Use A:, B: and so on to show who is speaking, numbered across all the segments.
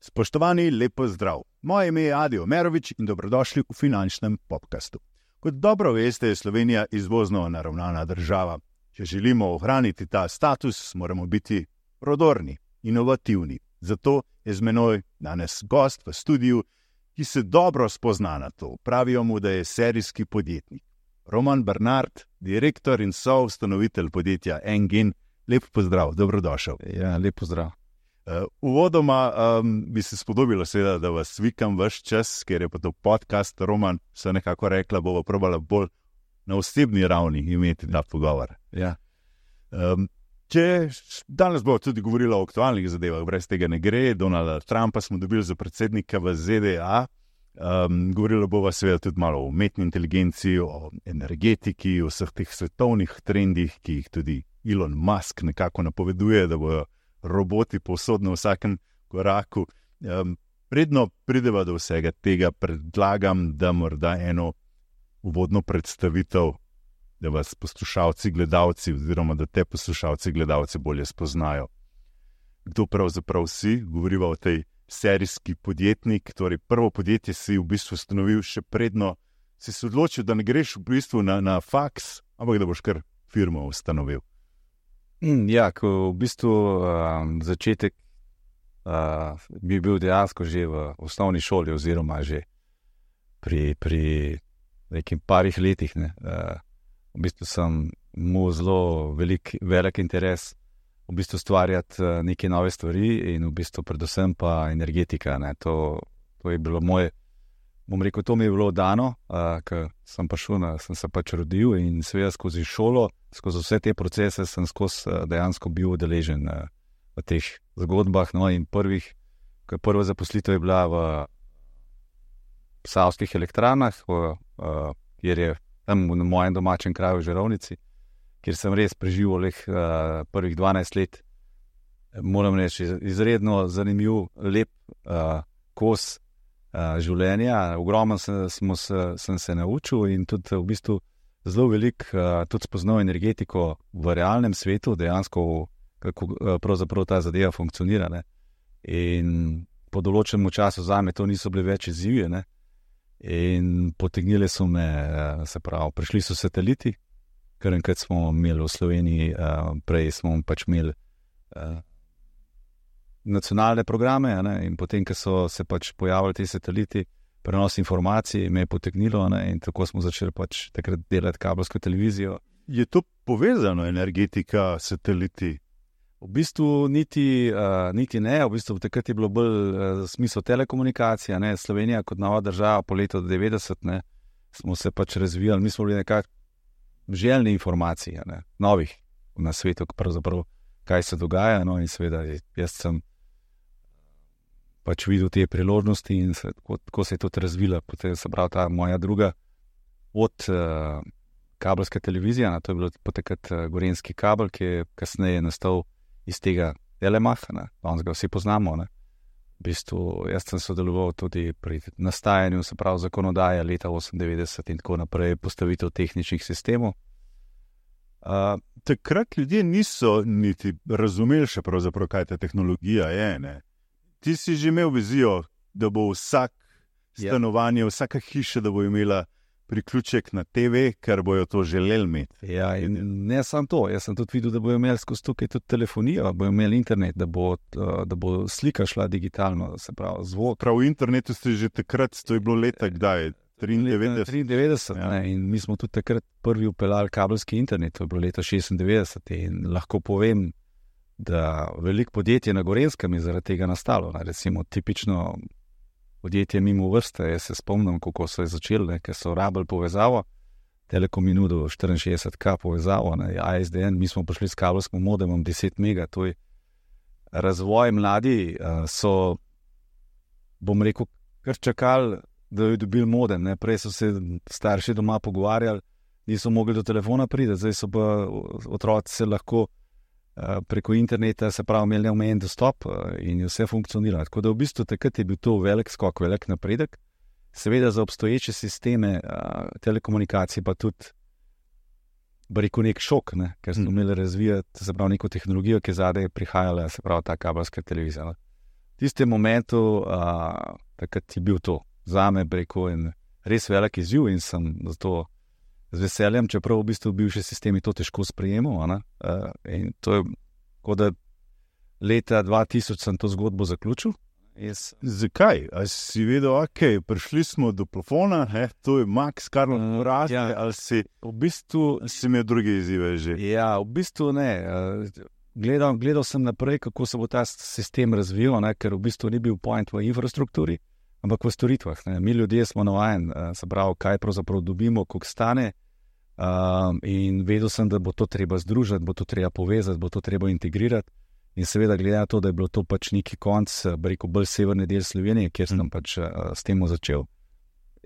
A: Spoštovani, lep pozdrav. Moje ime je Adi Omerovič in dobrodošli v finančnem podcastu. Kot dobro veste, je Slovenija izvozno naravnana država. Če želimo ohraniti ta status, moramo biti prodorni, inovativni. Zato je z menoj danes gost v studiu, ki se dobro spozna na to. Pravijo mu, da je serijski podjetnik. Roman Bernard, direktor in soustanovitelj podjetja Engine. Lep pozdrav, dobrodošel.
B: Ja, lep pozdrav.
A: Uvodoma bi se spodobilo seveda, da vas vikam vaš čas, ker je pa to podcast. Roman se nekako rekla, bova probala bolj na osebni ravni imeti ta pogovor.
B: Ja.
A: Če danes bo tudi govorila o aktualnih zadevah, brez tega ne gre. Donalda Trumpa smo dobili za predsednika v ZDA. Govorila bova seveda tudi malo o umetni inteligenci, o energetiki, o vseh teh svetovnih trendih, ki jih tudi Elon Musk nekako napoveduje, da bojo roboti povsod na vsakem koraku. Predno prideva do vsega tega, predlagam, da morda eno uvodno predstavitev, da vas poslušalci, gledalci, oziroma da te poslušalci, gledalci bolje spoznajo. Kdo pravzaprav si? Govoriva o tej serijski podjetnik, torej prvo podjetje si v bistvu ustanovil še predno, si se odločil, da ne greš v bistvu na faks, ampak da boš kar firmo ustanovil.
B: Ja, ko v bistvu začetek bi bil dejansko že v osnovni šoli oziroma že pri nekim parih letih. V bistvu sem imel zelo velik interes v bistvu stvarjati neke nove stvari in v bistvu predvsem pa energetika. To je bilo moje, bom rekel, to mi je bilo dano, ker sem se pač rodil in seveda skozi šolo, skozi vse te procese sem dejansko bil udeležen v teh zgodbah. No, in prva zaposlitev je bila v Savskih elektrarnah, kjer je tam v mojem domačem kraju v Žerovnici, kjer sem res preživel prvih 12 let. Moram reči, izredno zanimiv, lep kos življenja. Ogromno sem se naučil in tudi v bistvu zelo veliko tudi spoznal energetiko v realnem svetu, dejansko kako pravzaprav ta zadeva funkcionira. In po določenem času zame to niso bile več izzivi. In potegnili so me, se pravi, prišli so sateliti, ker enkrat smo imeli v Sloveniji, prej smo pač imeli nacionalne programe, in potem, ko so se pač pojavili ti sateliti, prenos informacij me je potegnilo, in tako smo začeli pač takrat delati kabelsko televizijo.
A: Je to povezano, energetika, sateliti?
B: V bistvu niti ne, v bistvu takrat je bilo bolj smisel telekomunikacija. Slovenija kot nova država po letu 90, smo se pač razvijali, mi smo bili nekako željni informacij, novih na svetu, pravzaprav kaj se dogaja, in seveda jaz sem pač videl te priložnosti in tako se je tudi razvila. Potem se pravi ta moja druga od kabelska televizija, to je bilo potekrat Gorenjski kabel, ki je kasneje nastal iz tega Telemacha, danes ga vsi poznamo. V bistvu jaz sem sodeloval tudi pri nastajanju, se pravi zakonodaje leta 98 in tako naprej, postavitev tehničnih sistemov.
A: Takrat ljudje niso niti razumeli še pravzaprav, kaj ta tehnologija je. Ti si že imel vizijo, da bo vsak stanovanje, vsaka hiša, da bo imela priključek na TV, ker bojo to želeli imeti.
B: Ja, in ne samo to, jaz sem tudi videl, da bojo imeli skozi tukaj tudi telefonijo, bojo imeli internet, da bo slika šla digitalno, se pravi zvok.
A: Prav v internetu ste že takrat, to je bilo leta kdaj?
B: 93, in mi smo tudi takrat prvi upeljali kabelski internet, to je bilo leta 96 in lahko povem, da veliko podjetje na Gorenjskem je zaradi tega nastalo. Recimo tipično podjetje mimo vrste, jaz se spomnim, kako so je začeli, ker so rabili povezavo, Telekom je nudil 64K povezavo, ASDN, mi smo prišli s kabelskim modemom 10 mega, to je razvoj. Mladi so, bom rekel, kar čakali, da je dobil modem. Prej so se starši doma pogovarjali, niso mogli do telefona priti, zdaj so pa otroci se lahko preko interneta, se pravi, imeli neomejen dostop in je vse funkcioniralo. Tako da v bistvu takrat je bil to velik skok, velik napredek. Seveda za obstoječe sisteme telekomunikacije pa tudi rekel, nek šok, ne? Ker smo imeli razvijati, se pravi, neko tehnologijo, ki je zadaj prihajala, se pravi, ta kabelska televizija. No? V tistem momentu, takrat je bil to zame, rekel, in res velik izziv in sem zato z veseljem, čeprav v bistvu bivši sistemi to težko sprejemal. In to je, kot da leta 2000 sem to zgodbo zaključil.
A: Zakaj? A si vedel, ok, prišli smo do plafona, to je max, kar nam raste, ali si
B: v bistvu
A: imel druge izzive že?
B: Ja, v bistvu ne. Gledal sem naprej, kako se bo ta sistem razvijal, ker v bistvu ni bil point v infrastrukturi, ampak v storitvah. Ne. Mi ljudje smo navajeni, se pravi, kaj pravzaprav dobimo, koliko stane, in vedel sem, da bo to treba združiti, bo to treba povezati, bo to treba integrirati. In seveda, glede na to, da je bilo to pač neki konc, rekel, bolj severni del Slovenije, kjer sem pač s tem začel,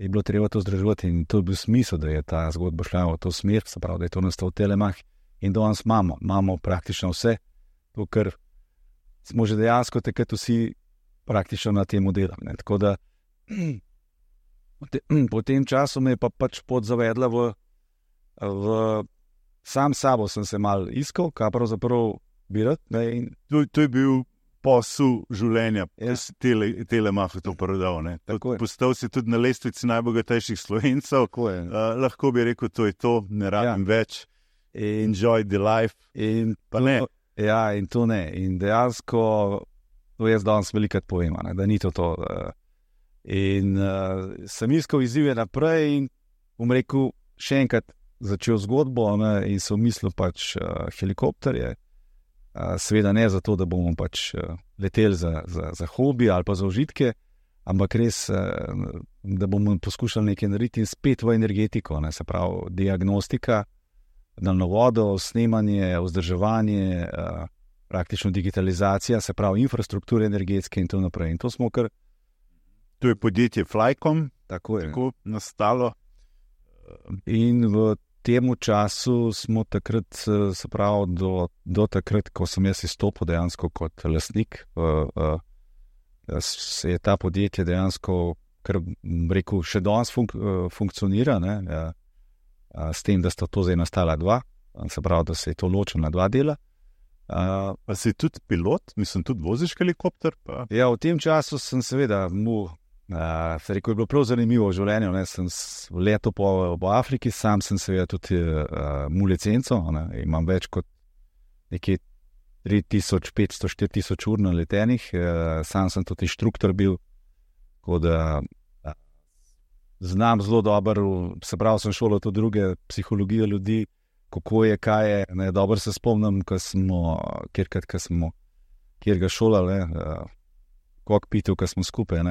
B: je bilo treba to združevati in to je bil smisel, da je ta zgodba šla v to smer, se pravi, da je to nastal Telemach in danes imamo praktično vse, to, kar smo že dejansko takrat vsi praktično na tem delali. Tako da po tem času me je pa pač pot zavedla v sam sabo sem se mal iskal, kaj pravzaprav birat.
A: To je bil posel življenja, Telemach to prodal. Postal si tudi na lestvici najbogatejših Slovencev. Lahko bi rekel, to je to, ne rabim več. Enjoy the life.
B: In ne. Ja, in to ne. In dejansko, to jaz danes velikrat povem, da ni to. In sem iskal izzive naprej in bom rekel, še enkrat začel zgodbo in sem mislil pač helikopterje. Seveda ne zato, da bomo pač leteli za hobi ali pa za užitke, ampak res, da bomo poskušali nekaj narediti in spet v energetiko, se pravi diagnostika, daljnovodo, snemanje, vzdrževanje, praktično digitalizacija, se pravi infrastrukture energetske in to naprej. In to smo kar...
A: To je podjetje Flycom,
B: tako
A: nastalo.
B: In v temu času smo takrat, se pravi, do takrat, ko sem jaz izstopil dejansko kot lastnik, se je ta podjetje dejansko, kar rekel, še danes funkcionira, s tem, da sta to zdaj nastala dva, se pravi, da se je to ločilo na dva dela.
A: Pa si tudi pilot, mislim, tudi voziš helikopter? Pa...
B: Ja, v tem času sem seveda se rekel, je bilo prav zanimivo v življenju. Sem letel po Afriki, sam sem seveda tudi licenco, imam več kot nekje 3500-4000 ur na letenih, sam sem tudi inštruktor bil, tako da znam zelo dobro, se pravi, sem šolal tudi druge psihologijo ljudi, kako je, kaj je, dobro se spomnim, kjer ga šolali, kokpitov, ko smo skupaj,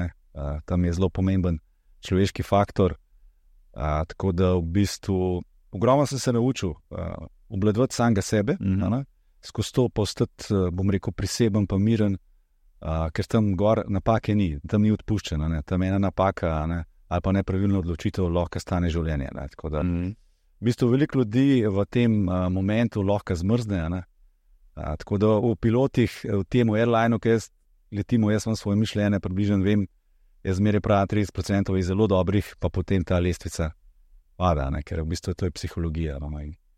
B: tam je zelo pomemben človeški faktor, tako da v bistvu ogromno sem se naučil obvladovati samega sebe, skozi to postati, bom rekel, priseben pa miren, ker tam gor napake ni, tam ni odpuščena, tam ena napaka ali pa nepravilno odločitev lahko stane življenje. Tako da v bistvu veliko ljudi v tem momentu lahko zmrzne, tako da v pilotih, v tem airlineu, ki jaz letimo, jaz imam svoje mišljenje, približno vem, jaz zmeraj pravim 30% je zelo dobrih, pa potem ta lestvica pada, ker v bistvu to je psihologija.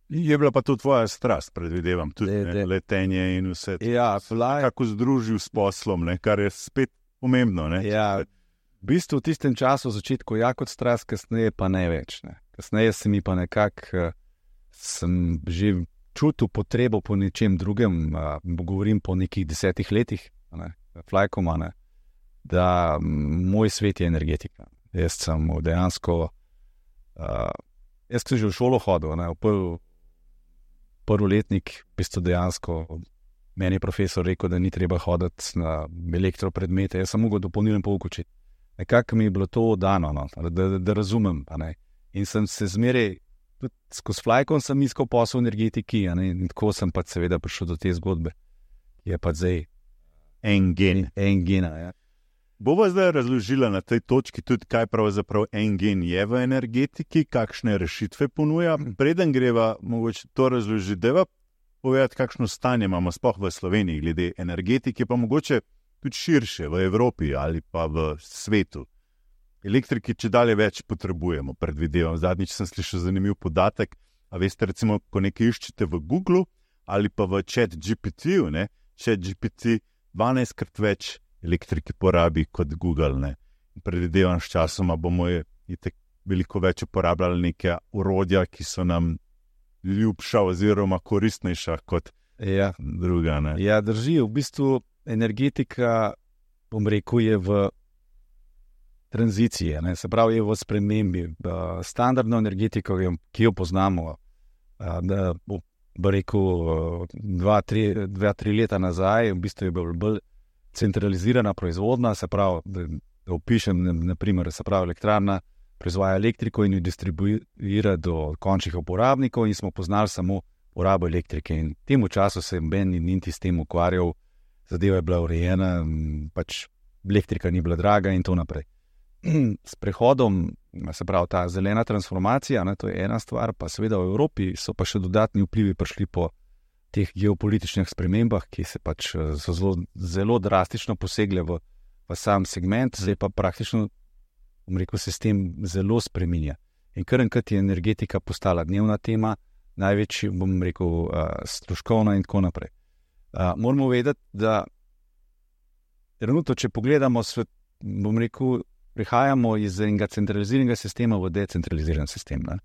A: Je bila pa to tvoja strast, predvidevam, tudi letenje in vse.
B: Ja,
A: kako združil s poslom, kar je spet pomembno.
B: Ja, v bistvu v tistem času v začetku kot strast, kasneje pa ne več. Kasneje se mi pa nekako, sem že čutil potrebo po nečem drugem, govorim po nekih 10 letih, Flycoma, da moj svet je energetika. Jaz sem dejansko, jaz sem že v šolo hodil, prvi letnik, v bistvu dejansko, meni je profesor rekel, da ni treba hoditi na elektropredmete, jaz sem mogel dopolnilen pouk učiti. Nekako mi je bilo to dano, da razumem. In sem se zmeraj, tudi skozi Flycom sem iskal posel v energetiki, in tako sem pa seveda prišel do te zgodbe. Je pa zdaj
A: en-gen.
B: Ja.
A: Bova zdaj razložila na tej točki tudi, kaj pravzaprav en-gen je v energetiki, kakšne rešitve ponuja. Preden greva mogoče to razložiti, deva povedati, kakšno stanje imamo sploh v Sloveniji glede energetike, pa mogoče tudi širše v Evropi ali pa v svetu. Elektriki če dalje več potrebujemo, predvidevam. Zadnjič sem slišal zanimiv podatek, A veste, recimo, ko nekaj iščete v Google ali pa v ChatGPT-ju, ChatGPT 12krat več elektrike porabi kot Google, ne. Predvidevam, s časoma bomo veliko več uporabljali neke orodja, ki so nam ljubša oziroma koristnejša kot druga. Ne.
B: Ja, drži. V bistvu energetika, bom rekel, je v tranziciji, ne? Se pravi, je v spremembi. Standardno energetiko, ki jo poznamo, da bo rekel 2-3 leta nazaj, v bistvu je bolj centralizirana proizvodnja, se pravi, da opišem, naprimer, se pravi, elektrarna proizvaja elektriko in jo distribuira do končnih uporabnikov in smo poznali samo porabo elektrike. In v tem času se Ben niti s tem ukvarjal, zadeva je bila urejena, pač elektrika ni bila draga in to naprej. S prehodom, se pravi, ta zelena transformacija, ne, to je ena stvar, pa seveda v Evropi so pa še dodatni vplivi prišli po teh geopolitičnih spremembah, ki se pač so zelo drastično posegle v sam segment, zdaj pa praktično, bom rekel, se s tem zelo spreminja. In kar enkrat je energetika postala dnevna tema, največji, bom rekel, stroškovna in tako naprej. Moramo vedeti, da trenutno, če pogledamo svet, bom rekel, prihajamo iz enega centraliziranega sistema v decentraliziran sistem. Ne?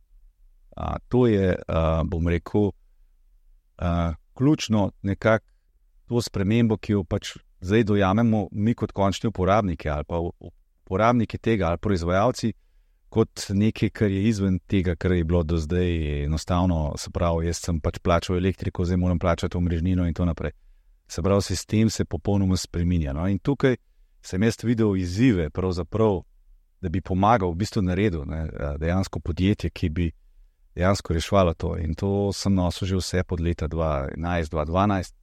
B: To je, bom rekel, ključno nekako to spremembo, ki jo pač zdaj dojamemo mi kot končni uporabniki ali pa uporabniki tega ali proizvajalci kot nekaj, kar je izven tega, kar je bilo do zdaj enostavno, se pravi, jaz sem pač plačal elektriko, zdaj moram plačati omrežnino in to naprej. Se pravi, sistem se popolnoma spreminja. No? In tukaj sem jaz videl izzive, pravzaprav, da bi pomagal, v bistvu naredil, ne, dejansko podjetje, ki bi dejansko rešvalo to. In to sem nosil že vse pod leta 2011-2012,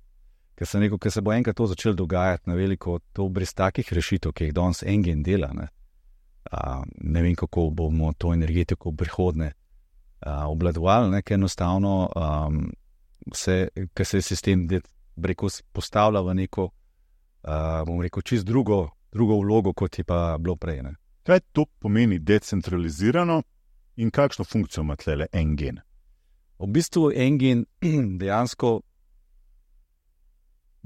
B: ker sem rekel, ker se bo enkrat to začelo dogajati na veliko, to brez takih rešitev, ki jih danes Engen dela. Ne vem, kako bomo to energetiko v prihodnje obvladovali, ker enostavno ker se je sistem postavlja v neko, bom rekel, čist drugo vlogo, kot je pa bilo prej. Ne.
A: Kaj to pomeni decentralizirano in kakšno funkcijo ima tlele Engen?
B: V bistvu Engen dejansko,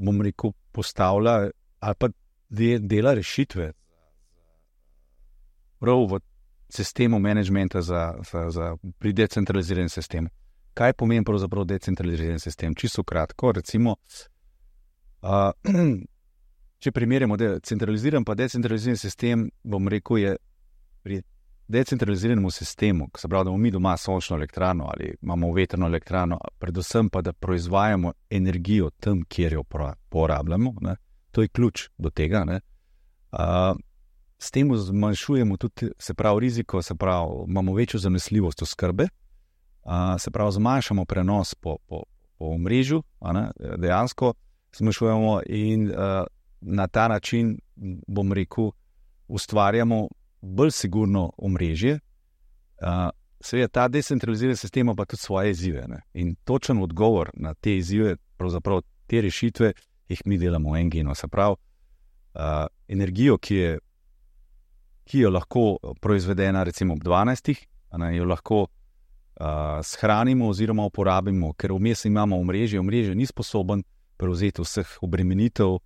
B: bom rekel, postavlja ali pa dela rešitve prav v sistemu menedžmenta pri decentraliziranem sistemu. Kaj pomeni pravzaprav decentraliziran sistem? Čisto kratko, recimo, če primerjamo centraliziran pa decentraliziran sistem, bom rekel, je pri decentraliziranem sistemu, se pravi, da imamo mi doma sončno elektrarno ali imamo vetrno elektrarno, predvsem pa, da proizvajamo energijo tam, kjer jo porabljamo, ne? To je ključ do tega. Ne? S tem zmanjšujemo tudi, se pravi, riziko, se pravi, imamo večjo zanesljivost oskrbe, se pravi, zmanjšamo prenos po omrežju, dejansko zmanjšujemo in na ta način, bom rekel, ustvarjamo bolj sigurno omrežje. Seveda ta decentraliziran sistem pa tudi svoje izzive. Ne? In točen odgovor na te izzive, pravzaprav te rešitve, jih mi delamo v Engenu. Se pravi, energijo, ki jo lahko proizvedena recimo ob 12, jo lahko shranimo oziroma uporabimo, ker vmes imamo omrežje ni sposoben prevzeti vseh obremenitev,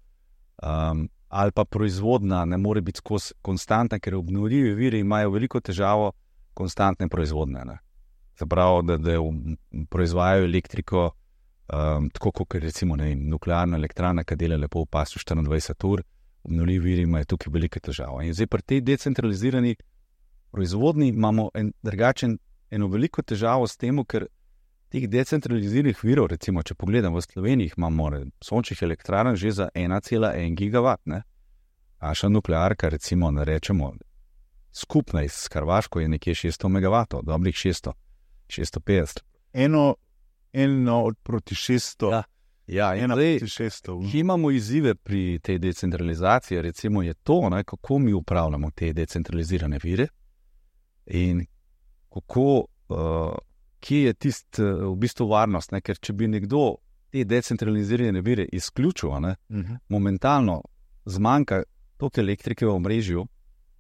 B: ali pa proizvodnja ne more biti konstantna, ker obnovljivi viri imajo veliko težavo konstantne proizvodnje. Ne. Se pravi, da proizvajajo elektriko, tako kot recimo nuklearna elektrarna, ki dela lepo v pasu 24 ur, obnovljivi viri imajo tukaj velike težave. In zdaj pri tej decentralizirani proizvodnji imamo eno veliko težavo s tem, ker teh decentraliziranih virov, recimo, če pogledam v Sloveniji, imamo sončnih elektrarn že za 1,1 gigawatt, ne? Naša nuklearka, recimo, ne rečemo, skupna s Hrvaško je nekje 600 megavatov, dobrih 650.
A: Eno proti 600.
B: Ja, in zdaj, ki imamo izzive pri tej decentralizaciji, recimo je to, ne, kako mi upravljamo te decentralizirane vire in kako, kje je v bistvu varnost, ne, ker če bi nekdo te decentralizirane vire izključil, ne, momentalno zmanjka toliko elektrike v omrežju,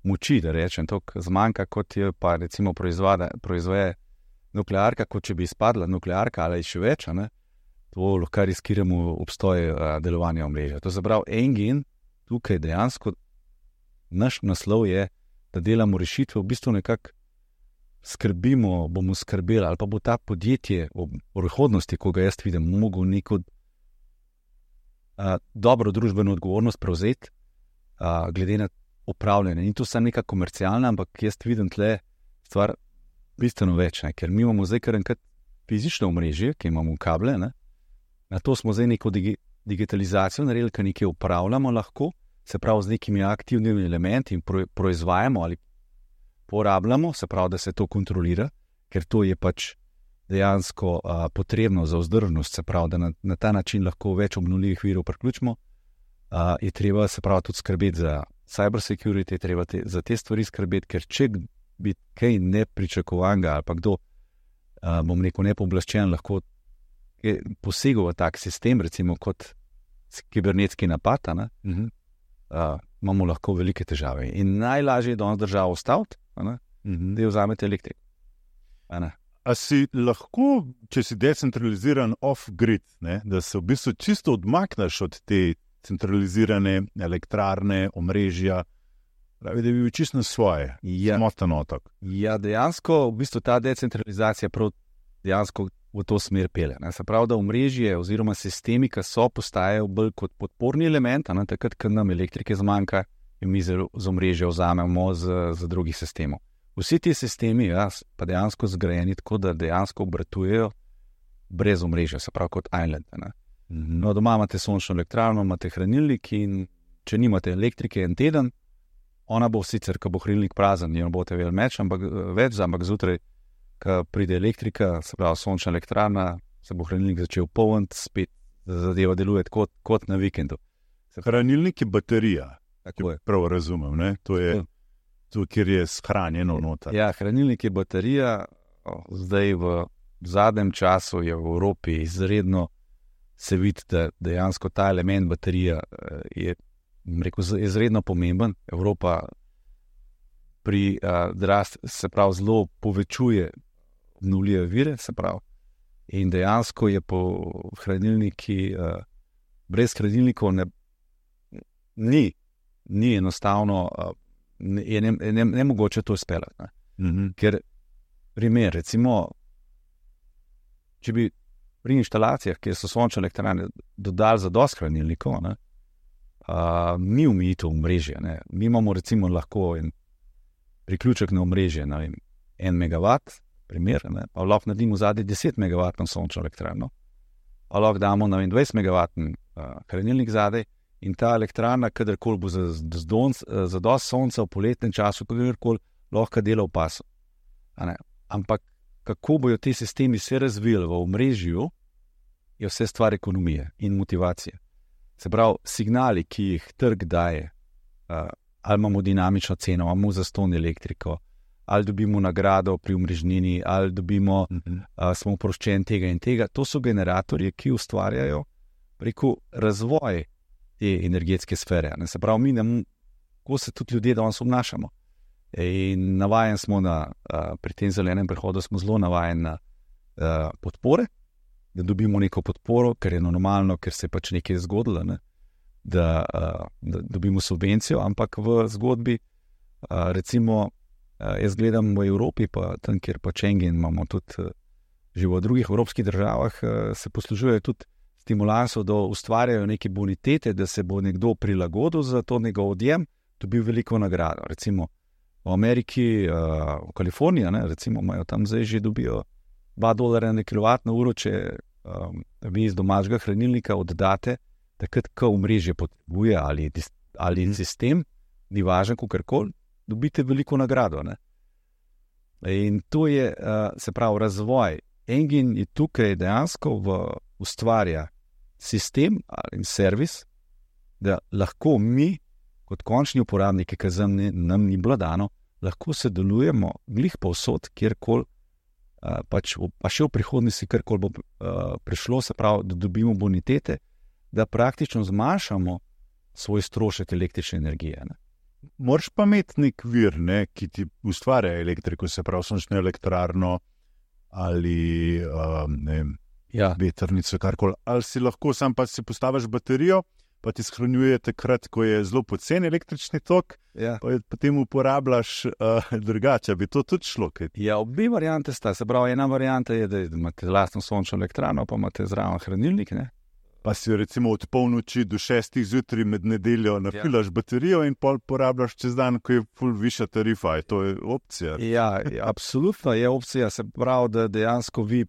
B: moči, da rečem, toliko zmanjka, kot je pa recimo proizvaja nuklearka, kot če bi izpadla nuklearka ali še več, to lahko riskiramo obstoj delovanja omrežja. To se pravi, en gen tukaj dejansko, naš naslov je, da delamo rešitve, v bistvu nekako skrbimo, bomo skrbeli, ali pa bo ta podjetje v prihodnosti, ko ga jaz vidim, mogel neko dobro družbeno odgovornost prevzeti, glede na upravljanje. In to samo neka komercialna, ampak jaz vidim tle stvar bistveno več, ker mi imamo zdaj kar enkrat fizično omrežje, ki imamo kable, na to smo zdaj neko digitalizacijo naredili, ki nekaj upravljamo lahko, se pravi z nekimi aktivnimi elementi in proizvajamo ali porabljamo, se pravi, da se to kontrolira, ker to je pač dejansko potrebno za vzdržnost, se pravi, da na ta način lahko več obnovljivih virov priključimo, je treba se pravi tudi skrbeti za cyber security, je treba za te stvari skrbeti, ker če bi kaj nepričakovanega ali pa kdo, bom rekel, nepooblaščen lahko posegel v tak sistem, recimo kot kibernetski napad, imamo lahko velike težave. In najlažje je danes državo ustaviti, da jo vzamete elektriko.
A: A si lahko, če si decentraliziran off-grid, da se v bistvu čisto odmakneš od te centralizirane elektrarne, omrežja, pravi, da bi bil čisto svoje, samotan otok.
B: Ja, dejansko, v bistvu ta decentralizacija prav dejansko v to smer pelje. Se pravi, da omrežje oziroma sistemi, ki so, postajajo bolj kot podporni element, takrat, ko nam elektrike zmanjka in mi z omrežja vzamemo z drugih sistemov. Vsi ti sistemi pa dejansko zgrajeni tako, da dejansko obratujejo brez omrežja, se pravi kot island. No, doma imate sončno elektrarno, imate hranilnik in če nimate elektrike en teden, ona bo sicer, ko bo hranilnik prazen, jo boste več, ampak zjutraj, ko pride elektrika, se pravi sončna elektrarna, se bo hranilnik začel polniti, spet zadeva deluje kot na vikendu.
A: Hranilnik je baterija, če prav razumem, to je to, kjer je shranjeno noter.
B: Ja, hranilnik je baterija, zdaj v zadnjem času je v Evropi izredno se vidi, da dejansko ta element baterija je izredno pomemben. Evropa pri se pravi zelo povečuje obnovljive vire, se pravi. In dejansko je po hranilniki, brez hranilnikov ni enostavno, je nemogoče to izpeljati. Ker primer, recimo, če bi pri inštalacijah, kjer so sončne elektrarne, dodali zadosti hranilnikov, ni omejitev omrežja. Mi imamo recimo lahko en priključek na omrežje, 1 megawatt, primer, pa lahko naredimo zadnji 10 megawattno sončno elektrarno, pa lahko damo 20 megawattni hranilnik zadaj in ta elektrarna, kadarkoli bo zadosti sonca v poletnem času, kadarkoli lahko dela v pasu. Ampak kako bojo ti sistemi se razvili v omrežju, je vse stvar ekonomije in motivacije. Se pravi, signali, ki jih trg daje, ali imamo dinamično ceno, ali imamo zastonj elektriko, ali dobimo nagrado pri omrežnini, ali dobimo, smo oproščeni tega in tega, to so generatorji, ki ustvarjajo preko razvoj te energetske sfere. Se pravi, ko se tudi ljudje danes obnašamo. In navajen smo pri tem zelenem prehodu smo zelo navajen na podpore, da dobimo neko podporo, ker je normalno, ker se je pač nekaj zgodilo, da dobimo subvencijo, ampak v zgodbi, recimo, jaz gledam v Evropi, pa tam, kjer pa Schengen imamo tudi že v drugih evropskih državah, se poslužujejo tudi stimulansov, da ustvarjajo neke bonitete, da se bo nekdo prilagodil za to njegov odjem, dobil veliko nagrado. Recimo v Ameriki, v Kaliforniji, recimo imajo tam zdaj že dobijo $2 na kWh, če vi iz domačega hranilnika oddate, takrat, ko omrežje potrebuje ali sistem, ni važen, kakorkoli, dobite veliko nagrado. In to je, se pravi, razvoj. Engine je tukaj dejansko ustvarja sistem ali servis, da lahko mi, kot končni uporabniki, ki nam ni bilo dano, lahko sodelujemo glih povsod, kjerkoli, pa še v prihodnosti, kjerkoli bo prišlo, se pravi, da dobimo bonitete, da praktično zmanjšamo svoj strošek električne energije.
A: Moraš pa imeti nek vir, ki ti ustvarja elektriko, se pravi sončno elektrarno, ali vetrnico, karkoli. Ali si lahko sam pa si postaviš baterijo, pa ti shranjuje takrat, ko je zelo poceni električni tok, pa potem uporabljaš drugače. Bi to tudi šlo?
B: Ja, obi variante sta. Se pravi, ena varianta je, da imate lastno sončno elektrarno, pa imate zraven hranilnik, ne?
A: Pa si jo recimo od polnoči do 6 zjutraj med nedeljo nafilaš baterijo in pol porabljaš čez dan, ko je ful višja tarifa. To je opcija.
B: Ja, absolutno je opcija. Se pravi, da dejansko vi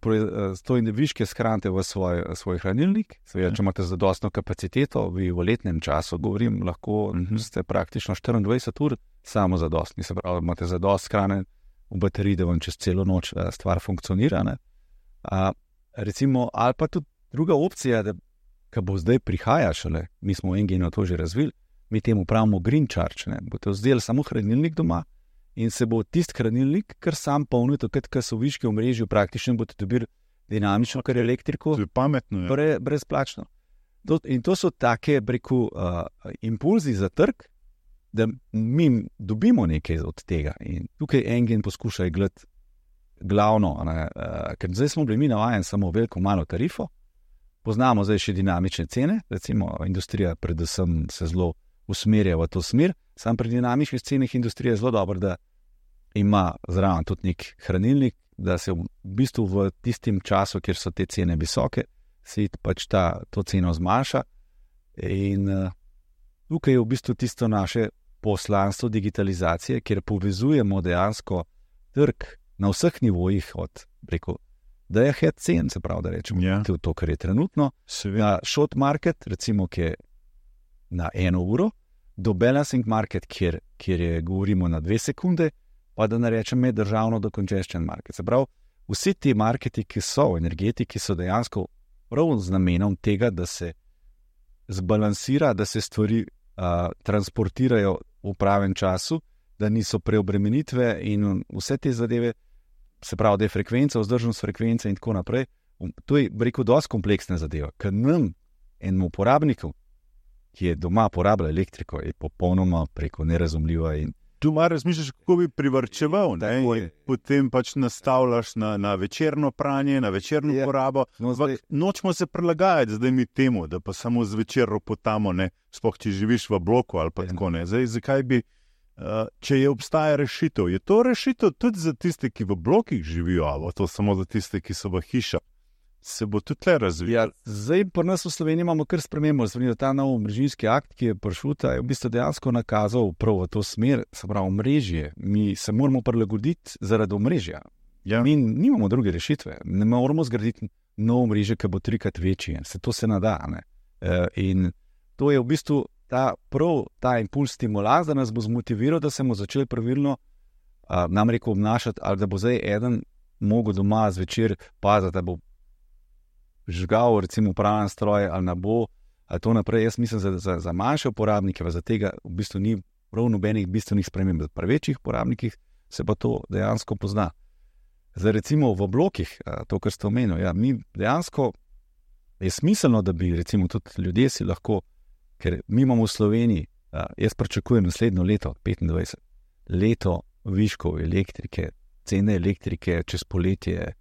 B: to in viške shranite v svoj hranilnik. Seveda, če imate zadostno kapaciteto, vi v letnem času, govorim, lahko ste praktično 24 ur samo zadostni. Se pravi, imate zadost hrane v bateriji, da vam čez celo noč stvar funkcionira. Recimo, ali pa tudi druga opcija, da ki bo zdaj prihaja šele, mi smo v Enginu to že razvili, mi temu pravimo green charge, ne. Boste vzeli samo hranilnik doma in se bo tisti hranilnik kar sam polnil, takrat, ko so viški v mrežju, praktično boste dobili dinamično, kar je elektriko,
A: to je pametno,
B: brezplačno. In to so take, impulzi za trg, da mi dobimo nekaj od tega. In tukaj Engin poskuša igrati glavno, ker zdaj smo bili mi navajeni samo veliko malo tarifo. Poznamo zdaj še dinamične cene, recimo industrija predvsem se zelo usmerja v to smer, sam pri dinamičnih cenah industrija je zelo dobro, da ima zraven tudi nek hranilnik, da se v bistvu v tistim času, kjer so te cene visoke, se pač to ceno zmanjša in tukaj je v bistvu tisto naše poslanstvo digitalizacije, kjer povezujemo dejansko trg na vseh nivojih od da je head cen, se pravi, da rečemo, to, kar je trenutno, na short market, recimo, ki je na 1 uro, do balancing market, kjer je, govorimo na 2 sekunde, pa da ne rečem državno do congestion market. Se pravi, vsi ti marketi, ki so v energetiki, so dejansko prav z namenom tega, da se zbalansira, da se stvari transportirajo v pravem času, da niso preobremenitve in vse te zadeve, se pravi, da je frekvenca, vzdržnost frekvence in tako naprej. To je, dosti kompleksna zadeva, ker nam, enemu uporabniku, ki je doma porabljal elektriko, je popolnoma nerazumljiva.
A: Tu malo razmišljaš, kako bi privarčeval, in potem pač nastavljaš na večerno pranje, na večerno porabo. Nočemo se prilagajati zdaj mi temu, da pa samo zvečer ropotamo, sploh če živiš v bloku ali pa tako ne. Zdaj, zakaj bi če obstaja rešitev, je to rešitev tudi za tiste, ki v blokih živijo, ali to samo za tiste, ki so v hišah, se bo tudi tle razvijal.
B: Zdaj pri nas v Sloveniji imamo kar spremembo, ta nov omrežninski akt, ki je prišel, je v bistvu dejansko nakazal prav v to smer, se pravi omrežje. Mi se moramo prilagoditi zaradi omrežja. Mi nimamo druge rešitve, ne moramo zgraditi nov omrežje, ki bo 3-krat večji, to se ne da. In to je v bistvu ta impuls stimulans, da nas bo zmotiviral, da se bomo začeli pravilno obnašati, ali da bo zdaj eden mogel doma zvečer paziti, da bo žgal recimo praven stroj ali ne bo, ali to naprej. Jaz mislim, za manjše uporabnike, za tega v bistvu ni prav nobenih bistvenih sprememb. Pri večjih uporabnikih se pa to dejansko pozna. Zdaj recimo v blokih, to, kar ste omenili, mi dejansko je smiselno, da bi recimo tudi ljudje si lahko, ker mi imamo v Sloveniji, jaz pričakujem naslednjo leto, 25, leto viškov elektrike, cene elektrike čez poletje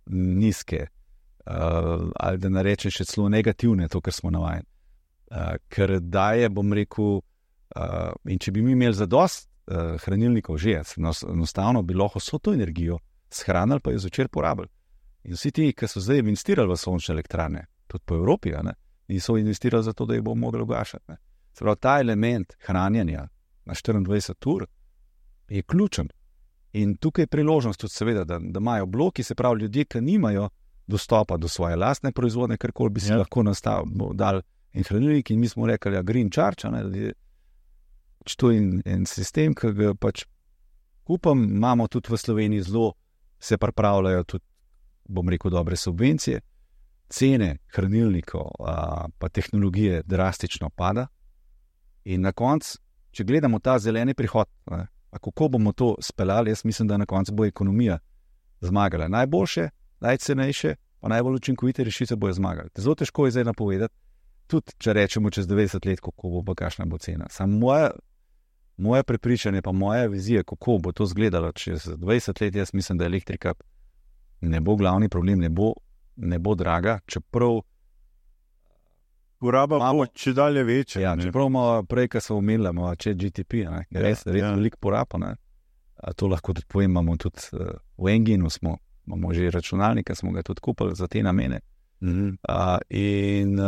B: nizke, ali da ne rečem še celo negativne, to, kar smo navajeni. Ker daje, bom rekel, in če bi mi imeli zadost hranilnikov že, enostavno bi lahko vso to energijo shranili, pa jo zvečer porabili. In vsi ti, ki so zdaj investirali v sončne elektrarne, tudi po Evropi, niso investirali za to, da jih bomo mogli ugašati. Se pravi, ta element hranjenja na 24 ur je ključen. In tukaj je priložnost tudi seveda, da imajo bloki, se pravi ljudje, ki nimajo dostopa do svoje lastne proizvodne, karkoli bi si lahko dali en hranilnik, in mi smo rekli, green charge, to je en sistem, ki ga pač kupam, imamo tudi v Sloveniji zelo, se pripravljajo tudi, bom rekel, dobre subvencije. Cene hranilnikov pa tehnologije drastično pada in na koncu, če gledamo ta zeleni prihod, kako bomo to speljali, jaz mislim, da na koncu bo ekonomija zmagala. Najboljše, najcenejše, pa najbolj učinkovite rešitve bojo zmagali. Zelo težko je zdaj napovedati, tudi če rečemo čez 90 let, kako bo pa kakšna bo cena. Samo moje prepričanje, pa moja vizija, kako bo to izgledalo čez 20 let, jaz mislim, da elektrika ne bo glavni problem, ne bo draga, čeprav
A: poraba bo če dalje večja.
B: Ja, čeprav imamo prej, kar smo omenili, imamo ChatGPT, res veliko poraba. To lahko tudi povem, imamo tudi v Enginu, imamo že računalnik, smo ga tudi kupili za te namene. In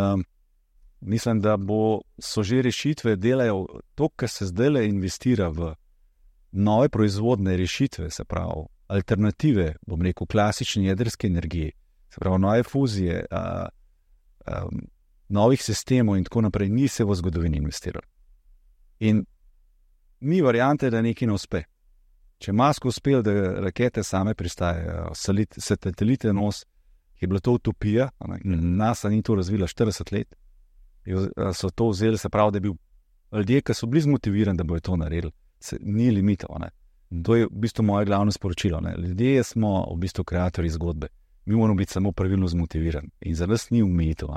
B: mislim, da so že rešitve, delajo to, kar se zdaj investira v nove proizvodne rešitve, se pravi alternative, bom rekel, klasični jedrski energiji, se pravi nove fuzije, novih sistemov in tako naprej, ni se v zgodovini investiralo. In ni variante, da nekaj ne uspe. Če Musk uspel, da rakete same pristajajo, satelite nos, je bila to utopija, NASA ni to razvila 40 let, so to vzeli, se pravi, da je bil ljudje, ki so bili zmotivirani, da bojo to naredili, ni limitov. To je v bistvu moje glavno sporočilo. Ljudje smo v bistvu kreatorji zgodbe. Mi moramo biti samo pravilno zmotivirani in za nas ni omejitev.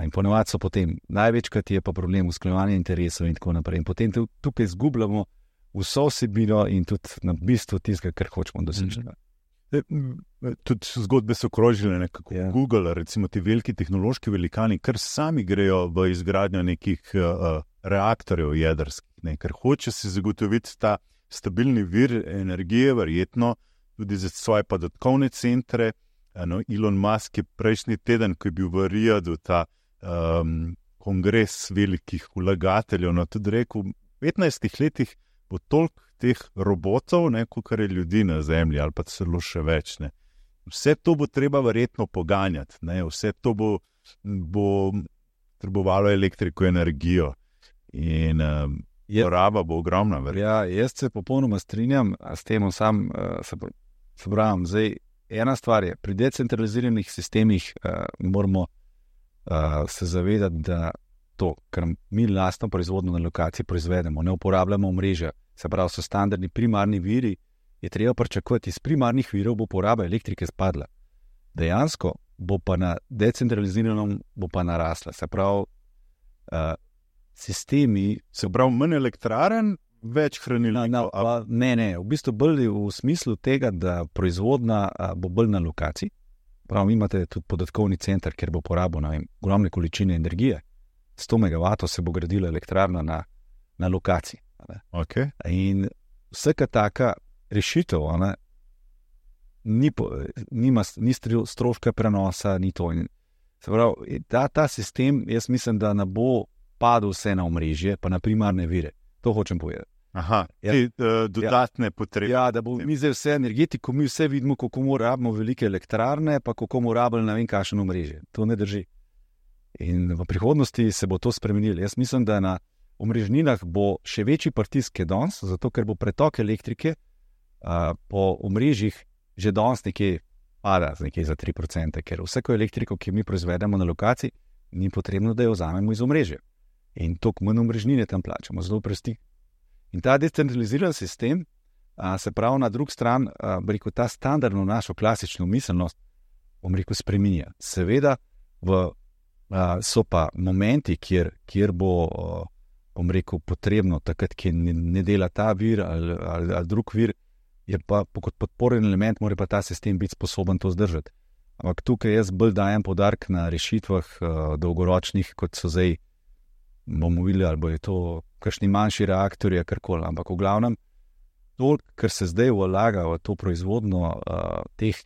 B: In ponovadi so potem, največkrat je pa problem usklajevanja interesov in tako naprej. In potem tukaj izgubljamo vso vsebino in tudi na bistvu tistega, kar hočemo doseči.
A: Tudi zgodbe so krožile nekako. Google, recimo ti veliki tehnološki velikani, kar sami grejo v izgradnjo nekih reaktorjev jedrskih, ker hoče si zagotoviti ta stabilni vir energije, verjetno tudi za svoje podatkovne centre. Elon Musk je prejšnji teden, ko je bil v Riyadu ta kongres velikih vlagateljev, tudi rekel, v 15 letih bo toliko teh robotov, kot je ljudi na Zemlji, ali pa celo še več. Vse to bo treba verjetno poganjati, vse to bo trebovalo elektriko, energijo in poraba bo ogromna.
B: Ja, jaz se popolnoma strinjam s tem, se pravim, zdaj ena stvar je, pri decentraliziranih sistemih moramo se zavedati, da to, kar mi lastno proizvodno na lokaciji proizvedemo, ne uporabljamo omrežja, se pravi, so standardni primarni viri, je treba pričakovati, iz primarnih virov bo poraba elektrike spadla. Dejansko bo pa na decentraliziranem bo pa narasla. Se pravi, sistemi...
A: Se pravi, manj elektraren, več hranilnikov.
B: Ne, v bistvu bolj v smislu tega, da proizvodna bo bolj na lokaciji. Pravi, imate tudi podatkovni center, kjer bo porabil ogromne količine energije. 100 MW se bo gradila elektrarna na lokaciji.
A: Okay.
B: In vsaka taka rešitev ni stroška prenosa, ni to. Se pravi, ta sistem, jaz mislim, da ne bo padel vse na omrežje, pa na primarne vire. To hočem povedati.
A: Aha, dodatne potrebe.
B: Ja, da bo mi zdaj vse energetiko, mi vse vidimo, kako moramo velike elektrarne, pa kako moramo ne vem kakšno omrežje. To ne drži. In v prihodnosti se bo to spremenilo. Jaz mislim, da na omrežninah bo še večji pritisk kot danes, zato ker bo pretok elektrike po omrežjih že danes nekje pada, nekje za 3%, ker vsako elektriko, ki mi proizvedemo na lokaciji, ni potrebno, da jo vzamemo iz omrežja. In toliko manj omrežnine tam plačamo, zelo prsti. In ta decentraliziran sistem, se pravi na drugi strani, ta standardno našo klasično miselnost, spreminja. Seveda so pa momenti, kjer bo potrebno, takrat, ki ne dela ta vir ali drug vir, je pa kot podporen element, mora pa ta sistem biti sposoben to zdržati. Ampak tukaj jaz bolj dajem poudarek na rešitvah dolgoročnih, kot so zdaj, bomo videli, ali bo je to kakšni manjši reaktorji, karkoli. Ampak v glavnem, to, kar se zdaj vlaga v to proizvodno teh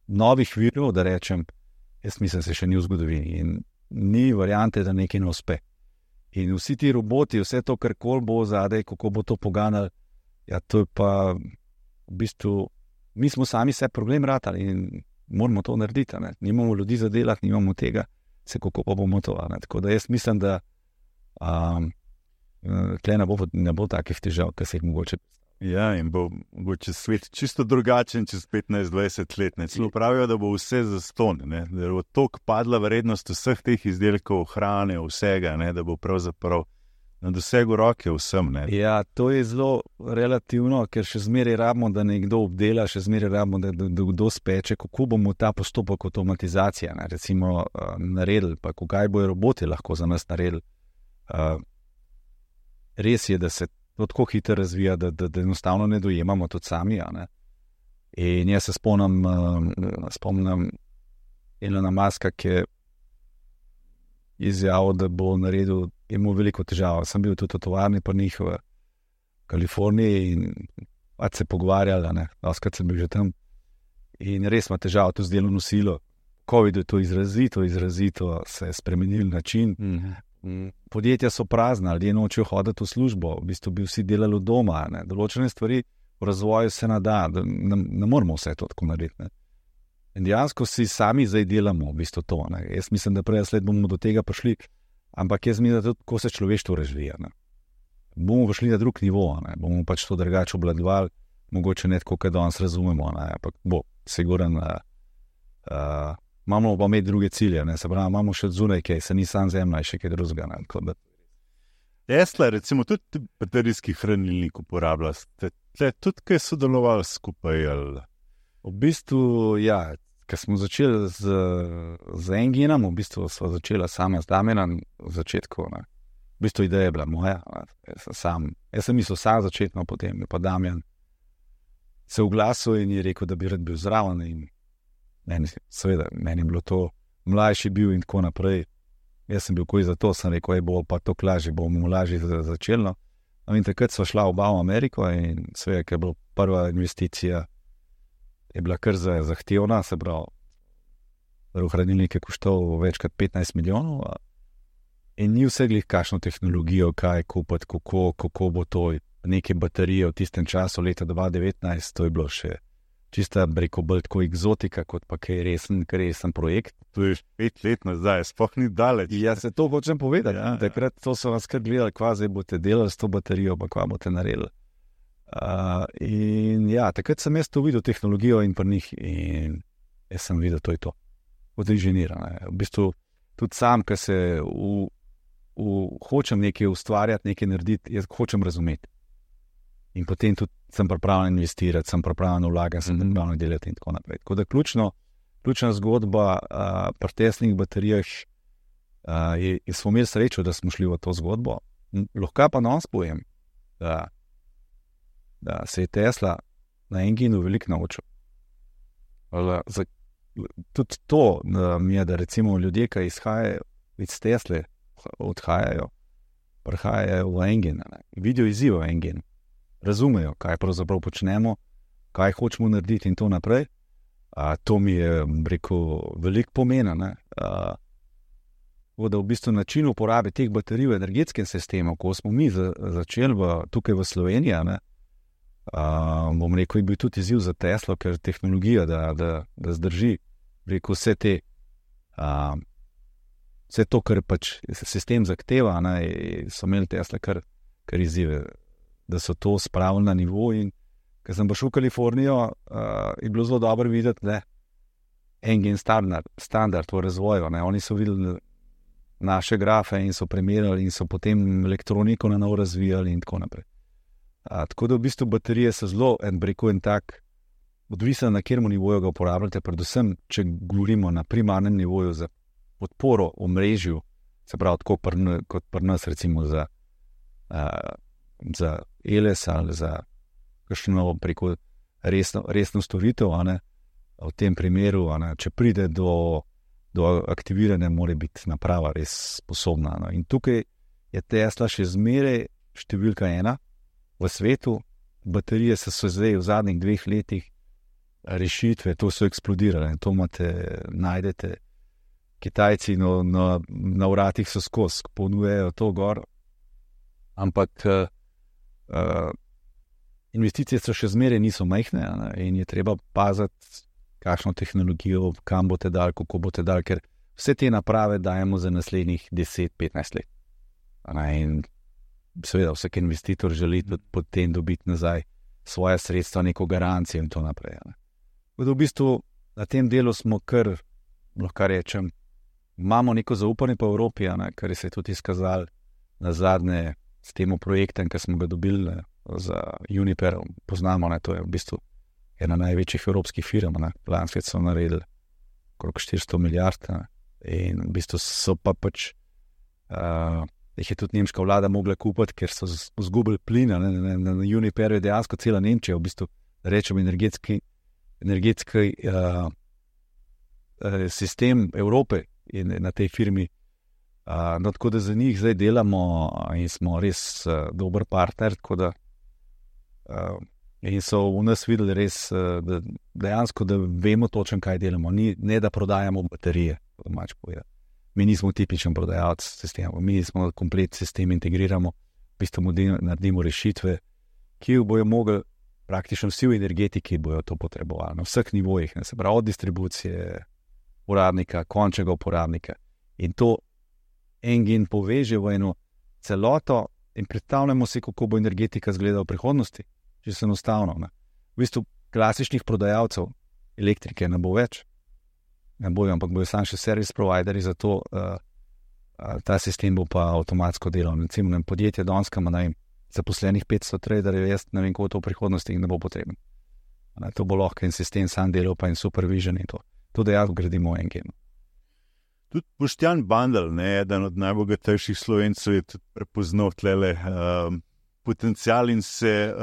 B: novih virov, da rečem, jaz mislim, se še ni v zgodovini in ni variante, da nekaj ne uspe. In vsi ti roboti, vse to, kar kol bo zadaj, kako bo to poganjali, ja, to je pa v bistvu, mi smo sami se problem ratali in moramo to narediti. Nimamo ljudi za delati, nimamo tega, kako pa bomo to. Tako da jaz mislim, da tle ne bo takih težav, kar se jih mogoče.
A: Ja, in bo mogoče svet čisto drugačen čez 15-20 let. Celo pravijo, da bo vse zastonj, da bo toliko padla vrednost vseh teh izdelkov, hrane, vsega, da bo pravzaprav na dosegu roke vsem.
B: Ja, to je zelo relativno, ker še zmeraj rabimo, da nekdo obdela, še zmeraj rabimo, da kdo speče, kako bomo ta postopek avtomatizacije recimo naredili, pa kaj bojo roboti lahko za nas naredili. Res je, da se to tako hitro razvija, da enostavno ne dojemamo tudi sami. In jaz se spomnim Elona Muska, ki je izjavil, da bo naredil, je imel veliko težav. Sem bil tudi v tovarni pri njih v Kaliforniji in se pogovarjali, doskrat sem bil že tam. In res ima težav to z delovno silo. COVID je to izrazito se je spremenil način. Podjetja so prazna, ljudje nočejo hoditi v službo, v bistvu bi vsi delali doma. Določene stvari v razvoju se nada, ne moramo vse to tako narediti. In dejansko si sami zdaj delamo v bistvu to. Jaz mislim, da prej sled bomo do tega prišli, ampak jaz mislim, da tudi ko se človeštvo razvija. Bomo prišli na drug nivo, bomo pač to drugače obvladovali, mogoče ne tako, kot danes razumemo, ampak bo sigurno. Imamo pa imeti druge cilje, se pravi, imamo še zunaj kaj, se ni sam zemlja, še kaj drugega.
A: Tesla, recimo, tudi baterijski hranilnik uporablja. Ste tudi kaj sodelovali skupaj? Ali?
B: V bistvu, ja, ko smo začeli z Enginom, v bistvu smo začeli sami z Damjanom v začetku. V bistvu ideja je bila moja. Jaz sem mislil sam začetno, potem je pa Damjan se oglasil in je rekel, da bi rad bil zraven. In meni je bilo to, mlajši bil in tako naprej. Jaz sem bil koji za to, sem rekel, bo pa to lažje, bomo lažje začeli. In takrat sva šla oba v Ameriko in seveda, ker je bila prva investicija, je bila kar zahtevna, se pravi, hranilnik je koštal več kot 15 milijonov in ni vse glih kakšno tehnologijo, kaj kupiti, kako bo to, neke baterije v tistem času, leta 2019, to je bilo še čista, reko, bolj tako egzotika, kot pa kaj resen projekt.
A: To je 5 let nazaj, sploh ni daleč.
B: Ja, se to hočem povedati. Ja. Takrat to so vas kar gledali, kva zdaj boste delali s to baterijo, pa kva boste naredili. In ja, takrat sem jaz to videl, tehnologijo in pri njih, in jaz sem videl, to je to. Od inženira. V bistvu tudi sam, ker se hočem nekaj ustvarjati, nekaj narediti, jaz hočem razumeti. In potem tudi sem pripravljen investirati, sem pripravljen vlagati, sem pripravljen delati in tako naprej. Tako da ključna zgodba pri Teslinih baterijah smo imeli srečo, da smo šli v to zgodbo. Lahko pa nas povem, da se je Tesla na Enginu veliko naučil. Tudi to mi je, da recimo ljudje, ki izhajajo iz Tesle, prihajajo v Engin, vidijo izziv v Enginu. Razumejo, kaj pravzaprav počnemo, kaj hočemo narediti in to naprej. To mi je, rekel, veliko pomena. Da v bistvu način uporabe teh baterij v energetskem sistemu, ko smo mi začeli tukaj v Sloveniji, bom rekel, je bil tudi izziv za Teslo, ker tehnologija, da zdrži, rekel, vse to, kar pač sistem zahteva, so imeli Tesla kar izzive, da so to spravili na nivo. In ko sem prišel v Kalifornijo, je bilo zelo dobro videti, da Engine standard v razvoju. Oni so videli naše grafe in so primerjali in so potem elektroniko na novo razvijali in tako naprej. Tako da v bistvu baterije so zelo, en tak, odvisno na katerem nivoju ga uporabljate, predvsem, če govorimo na primarnem nivoju za podporo omrežju, se pravi, tako kot pri nas, recimo za ELS ali za kakšno preko resno storitev, v tem primeru, če pride do aktiviranja, mora biti naprava res sposobna. In tukaj je Tesla še zmeraj številka 1 v svetu. Baterije so zdaj v zadnjih 2 letih rešitve, to so eksplodirale. To najdete, Kitajci na vratih so skozi, ponujejo to gor, ampak investicije so še zmeraj niso majhne in je treba paziti, kakšno tehnologijo, kam boste dali, kako boste dali, ker vse te naprave dajemo za naslednjih 10-15 let. In seveda vsak investitor želi potem dobiti nazaj svoje sredstva, neko garancijo in to naprej. V bistvu na tem delu smo kar, lahko rečem, imamo neko zaupanje po Evropi, kar se je tudi izkazalo na zadnje s tem projektom, ki smo ga dobili za Uniper, poznamo, to je v bistvu ena največjih evropskih firm, lansko leto so naredili okrog 400 milijard in v bistvu so pa pač jih je tudi nemška vlada mogla kupiti, ker so izgubili plin. Na Uniperju je dejansko cela Nemčija, v bistvu rečem energetski energetski sistem Evrope in na tej firmi. No, tako da za njih zdaj delamo in smo res dober partner, tako da in so v nas videli res, da dejansko, da vemo točno, kaj delamo. Ne, da prodajamo baterije, domač povedati. Mi nismo tipičen prodajalec sistema, mi smo komplet sistem integriramo, v bistvu naredimo rešitve, ki bojo mogli praktično vsi v energetiki bojo to potrebovali, na vseh nivojih, ne, se pravi od distribucije uporabnika, končnega uporabnika. In to Engine poveže v eno celoto in predstavljamo si, kako bo energetika izgledala v prihodnosti, če se enostavno. Ne. V bistvu klasičnih prodajalcev elektrike ne bo več, ne bojo, ampak bojo samo še servis provideri, zato ta sistem bo pa avtomatsko delal. Recimo podjetje Donska ima zaposlenih 500 traderjev, jaz ne vem, kako to v prihodnosti ne bo potreben. To bo lahko en sistem sam delal, pa in supervision in to. To dejansko gradimo v Engine.
A: Tudi Boštjan Bandelj, eden od najbogatejših Slovencev, je tudi prepoznal tlele potencial in se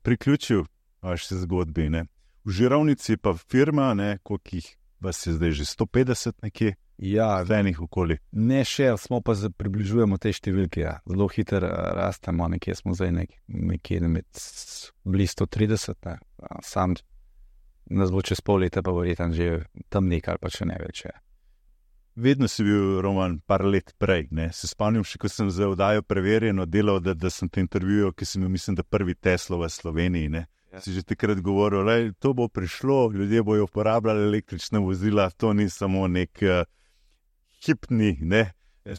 A: priključil vaši zgodbi. Ne. V Žirovnici pa firma, koliko jih vas je zdaj že 150 nekje?
B: Ja,
A: venih okoli.
B: Ne še, smo pa približujemo te številke. Ja. Zelo hitro rastemo, nekje smo zdaj nekje med blizu 130. Ne. Sam nas bo čez pol leta pa verjetno že tam nekaj, pa še ne več. Ja.
A: Vedno si bil, Roman, par let prej. Ne? Se spomnim še, ko sem za oddajo Preverjeno delal, da sem te intervjuval, ki sem imel, mislim, da prvi Tesla v Sloveniji. Ne? Ja. Si že takrat govoril, da to bo prišlo, ljudje bojo uporabljali električna vozila, to ni samo nek hipni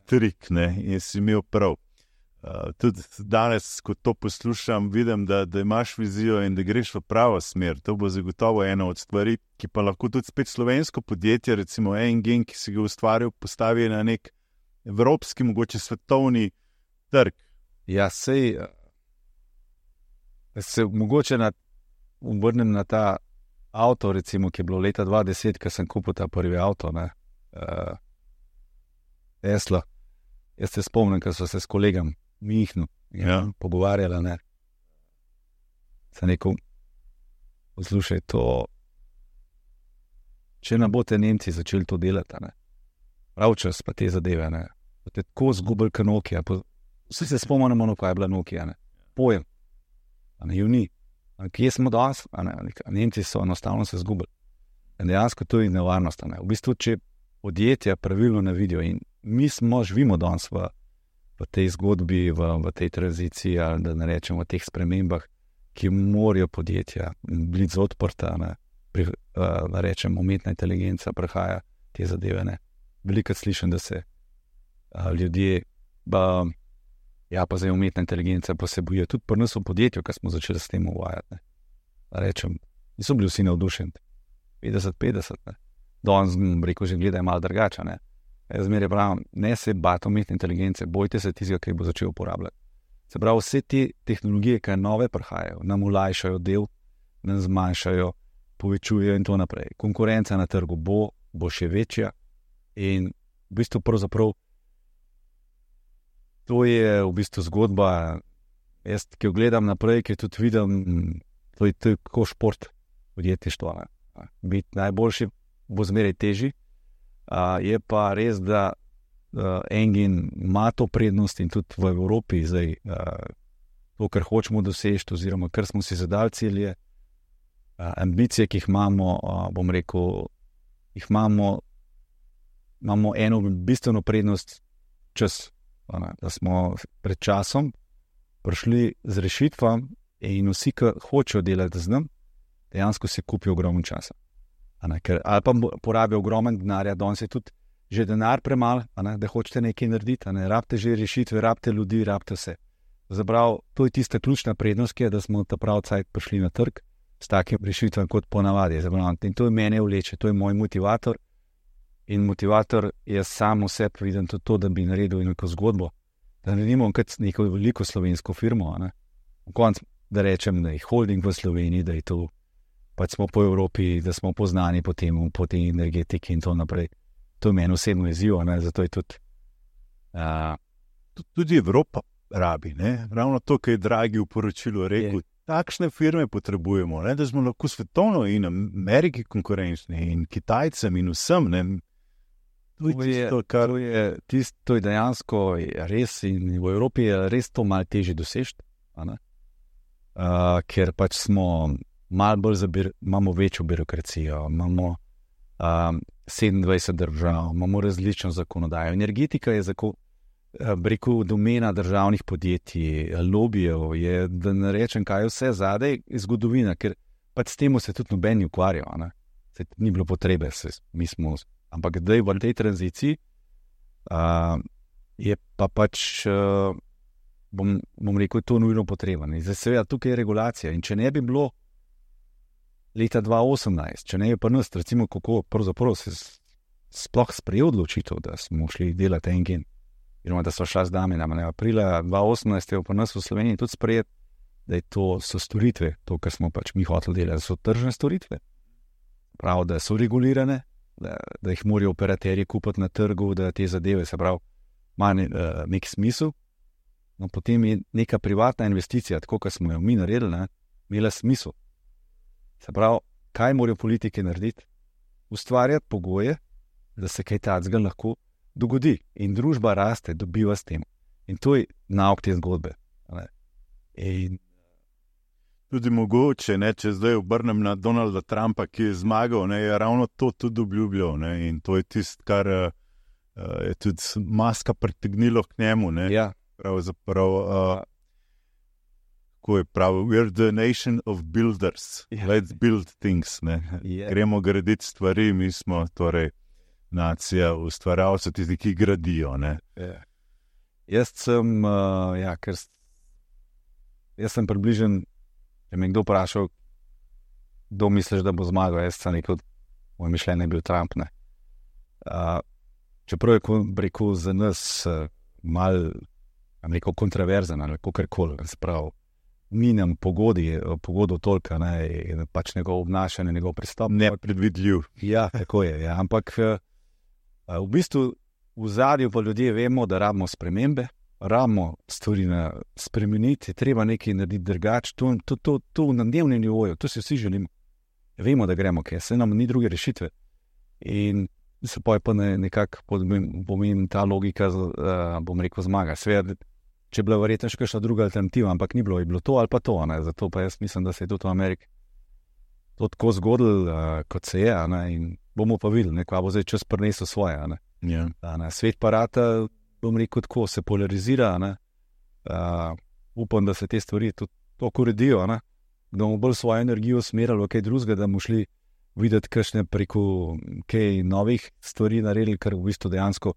A: trik, in si imel prav. Tudi danes, ko to poslušam, vidim, da imaš vizijo in da greš v pravo smer. To bo zagotovo ena od stvari, ki pa lahko tudi spet slovensko podjetje, recimo Engine, ki si ga ustvaril, postavi na nek evropski, mogoče svetovni trg.
B: Ja, sej se mogoče obrnem na ta avto, recimo, ki je bilo leta 2010, ko sem kupil ta prvi avto, Tesla. Jaz se spomnim, ko so se s kolegom Mihnu pogovarjali, sem rekel, poslušaj, to, če ne boste Nemci začeli to delati, prav čas pa te zadeve, boste tako zgubili kot Nokia, vsi se spomnimo, kaj je bila Nokia, pojem, ju ni, kje smo danes, Nemci so enostavno se zgubili. In dejansko to je nevarnost, v bistvu, če podjetja pravilno ne vidijo in mi živimo danes v tej zgodbi, v tej tranziciji, ali da ne rečemo v teh spremembah, ki morajo podjetja biti odprta, da rečemo umetna inteligenca prehaja te zadeve. Veliko slišim, da se ljudje, pa zdaj umetna inteligenca pa se bojijo. Tudi pri nas v podjetju, ko smo začeli s tem uvajati. Rečem, niso bili vsi navdušeni. 50-50. Danes, rekel, že gledaj malo drugače, Jaz zmeraj pravim, ne se bati umetne inteligence, bojte se tistega, ki bo začel uporabljati. Se pravi, vse te tehnologije, ki nove prihajajo, nam olajšajo del, nam zmanjšajo, povečujejo in to naprej. Konkurenca na trgu bo še večja in v bistvu pravzaprav to je v bistvu zgodba, jaz, ki jo gledam naprej, ki tudi vidim, to je kot šport podjetništva. Biti najboljši bo zmeraj težji. Je pa res, da Engine ima to prednost in tudi v Evropi zdaj to, kar hočemo doseči, oziroma kar smo si zadali cilje, ambicije, ki jih imamo, bom rekel, imamo eno bistveno prednost čas, da smo pred časom prišli z rešitvam in vsi, ki hočejo delati z nam, dejansko se kupijo ogromno časa. Ali pa porabijo ogromen denarja, danes je tudi že denar premalo, da hočete nekaj narediti, rabite že rešitve, rabite ljudi, rabite vse. Zabrav, to je tista ključna prednost, ki je, da smo ta prav cajt prišli na trg s takim rešitvam kot ponavadi. Zabrav, in to je mene vleče, to je moj motivator in motivator je sam v sebi viden tudi to, da bi naredil neko zgodbo, da naredimo kot neko veliko slovensko firmo, v koncu, da rečem, da je holding v Sloveniji, da je to pač smo po Evropi, da smo poznani po tej energetiki in to naprej. To je meni osebno izziv, zato je tudi...
A: Tudi Evropa rabi, ravno to, kar je Draghi v poročilu rekel, takšne firme potrebujemo, ne, da smo lahko svetovno in Ameriki konkurenčni in Kitajcem in vsem. Ne.
B: To je dejansko res in v Evropi je res to malo težje doseči, ker pač imamo večjo birokracijo, imamo 27 držav, imamo različno zakonodajo. Energetika je domena državnih podjetij, lobijev, da ne rečem, kaj je vse zadaj, je zgodovina, ker pač s tem se tudi noben ni ukvarjal. Ni bilo potrebe, ampak zdaj v tej tranziciji je pa pač, bom rekel, to nujno potrebno. Zdaj seveda tukaj je regulacija in če ne bi bilo leta 2018, če ne bi pa nas, recimo, kako pravzaprav se sploh sprejel odločitev, da smo šli delati en gen, oziroma da so šla z nami, aprila 2018 je pa nas v Sloveniji tudi sprejet, da so storitve, to, kar smo pač mi hoteli delati, so tržne storitve. Prav, da so regulirane, da jih morajo operaterji kupiti na trgu, da te zadeve, se pravi, ima nek smisel. No, potem je neka privatna investicija, tako kot smo jo mi naredili, imela smisel. Se pravi, kaj morajo politike narediti? Ustvarjati pogoje, da se kaj takega lahko dogodi. In družba raste, dobiva s tem. In to je nauk te zgodbe. In
A: tudi mogoče, če zdaj obrnem na Donalda Trumpa, ki je zmagal, je ravno to tudi obljubljal. In to je tisto, kar je tudi Muska pritegnilo k njemu.
B: Ja.
A: Pravzaprav, ko je pravil, we're the nation of builders, let's build things. Gremo graditi stvari, mi smo torej nacija ustvarjalcev, tisti, ki gradijo.
B: Jaz sem približen, če me kdo vprašal, kdo misliš, da bo zmagal, jaz sem rekel, moj mišljenje je bil Trump. Čeprav je rekel za nas malo kontroverzen ali kakorkoli, se pravi, ni nam pogodo toliko, pač njegov obnašanje, njegov pristop.
A: Nepredvidljiv.
B: Ja, tako je. Ja. Ampak v bistvu v zadju pa ljudje vemo, da rabimo spremembe, rabimo stvari spremeniti, je treba nekaj narediti drugače. To na dnevnem nivoju, to si vsi želimo. Vemo, da gremo, ker se nam ni druge rešitve. In se pa je pa nekako pomeni ta logika, bom rekel, zmaga. Seveda, če je bila verjetno še kakšna druga alternativa, ampak ni bilo, je bilo to ali pa to. Zato pa jaz mislim, da se je tudi v Ameriki to tako zgodilo, kot se je. In bomo pa videli, kaj bo zdaj čas prinesel svoje. Svet pa rata, bom rekel, tako se polarizira. Upam, da se te stvari tudi tako uredijo, da bomo bolj svojo energijo usmerili v kaj drugega, da bomo šli videti kakšne preko kaj novih stvari naredili, kar v bistvu dejansko,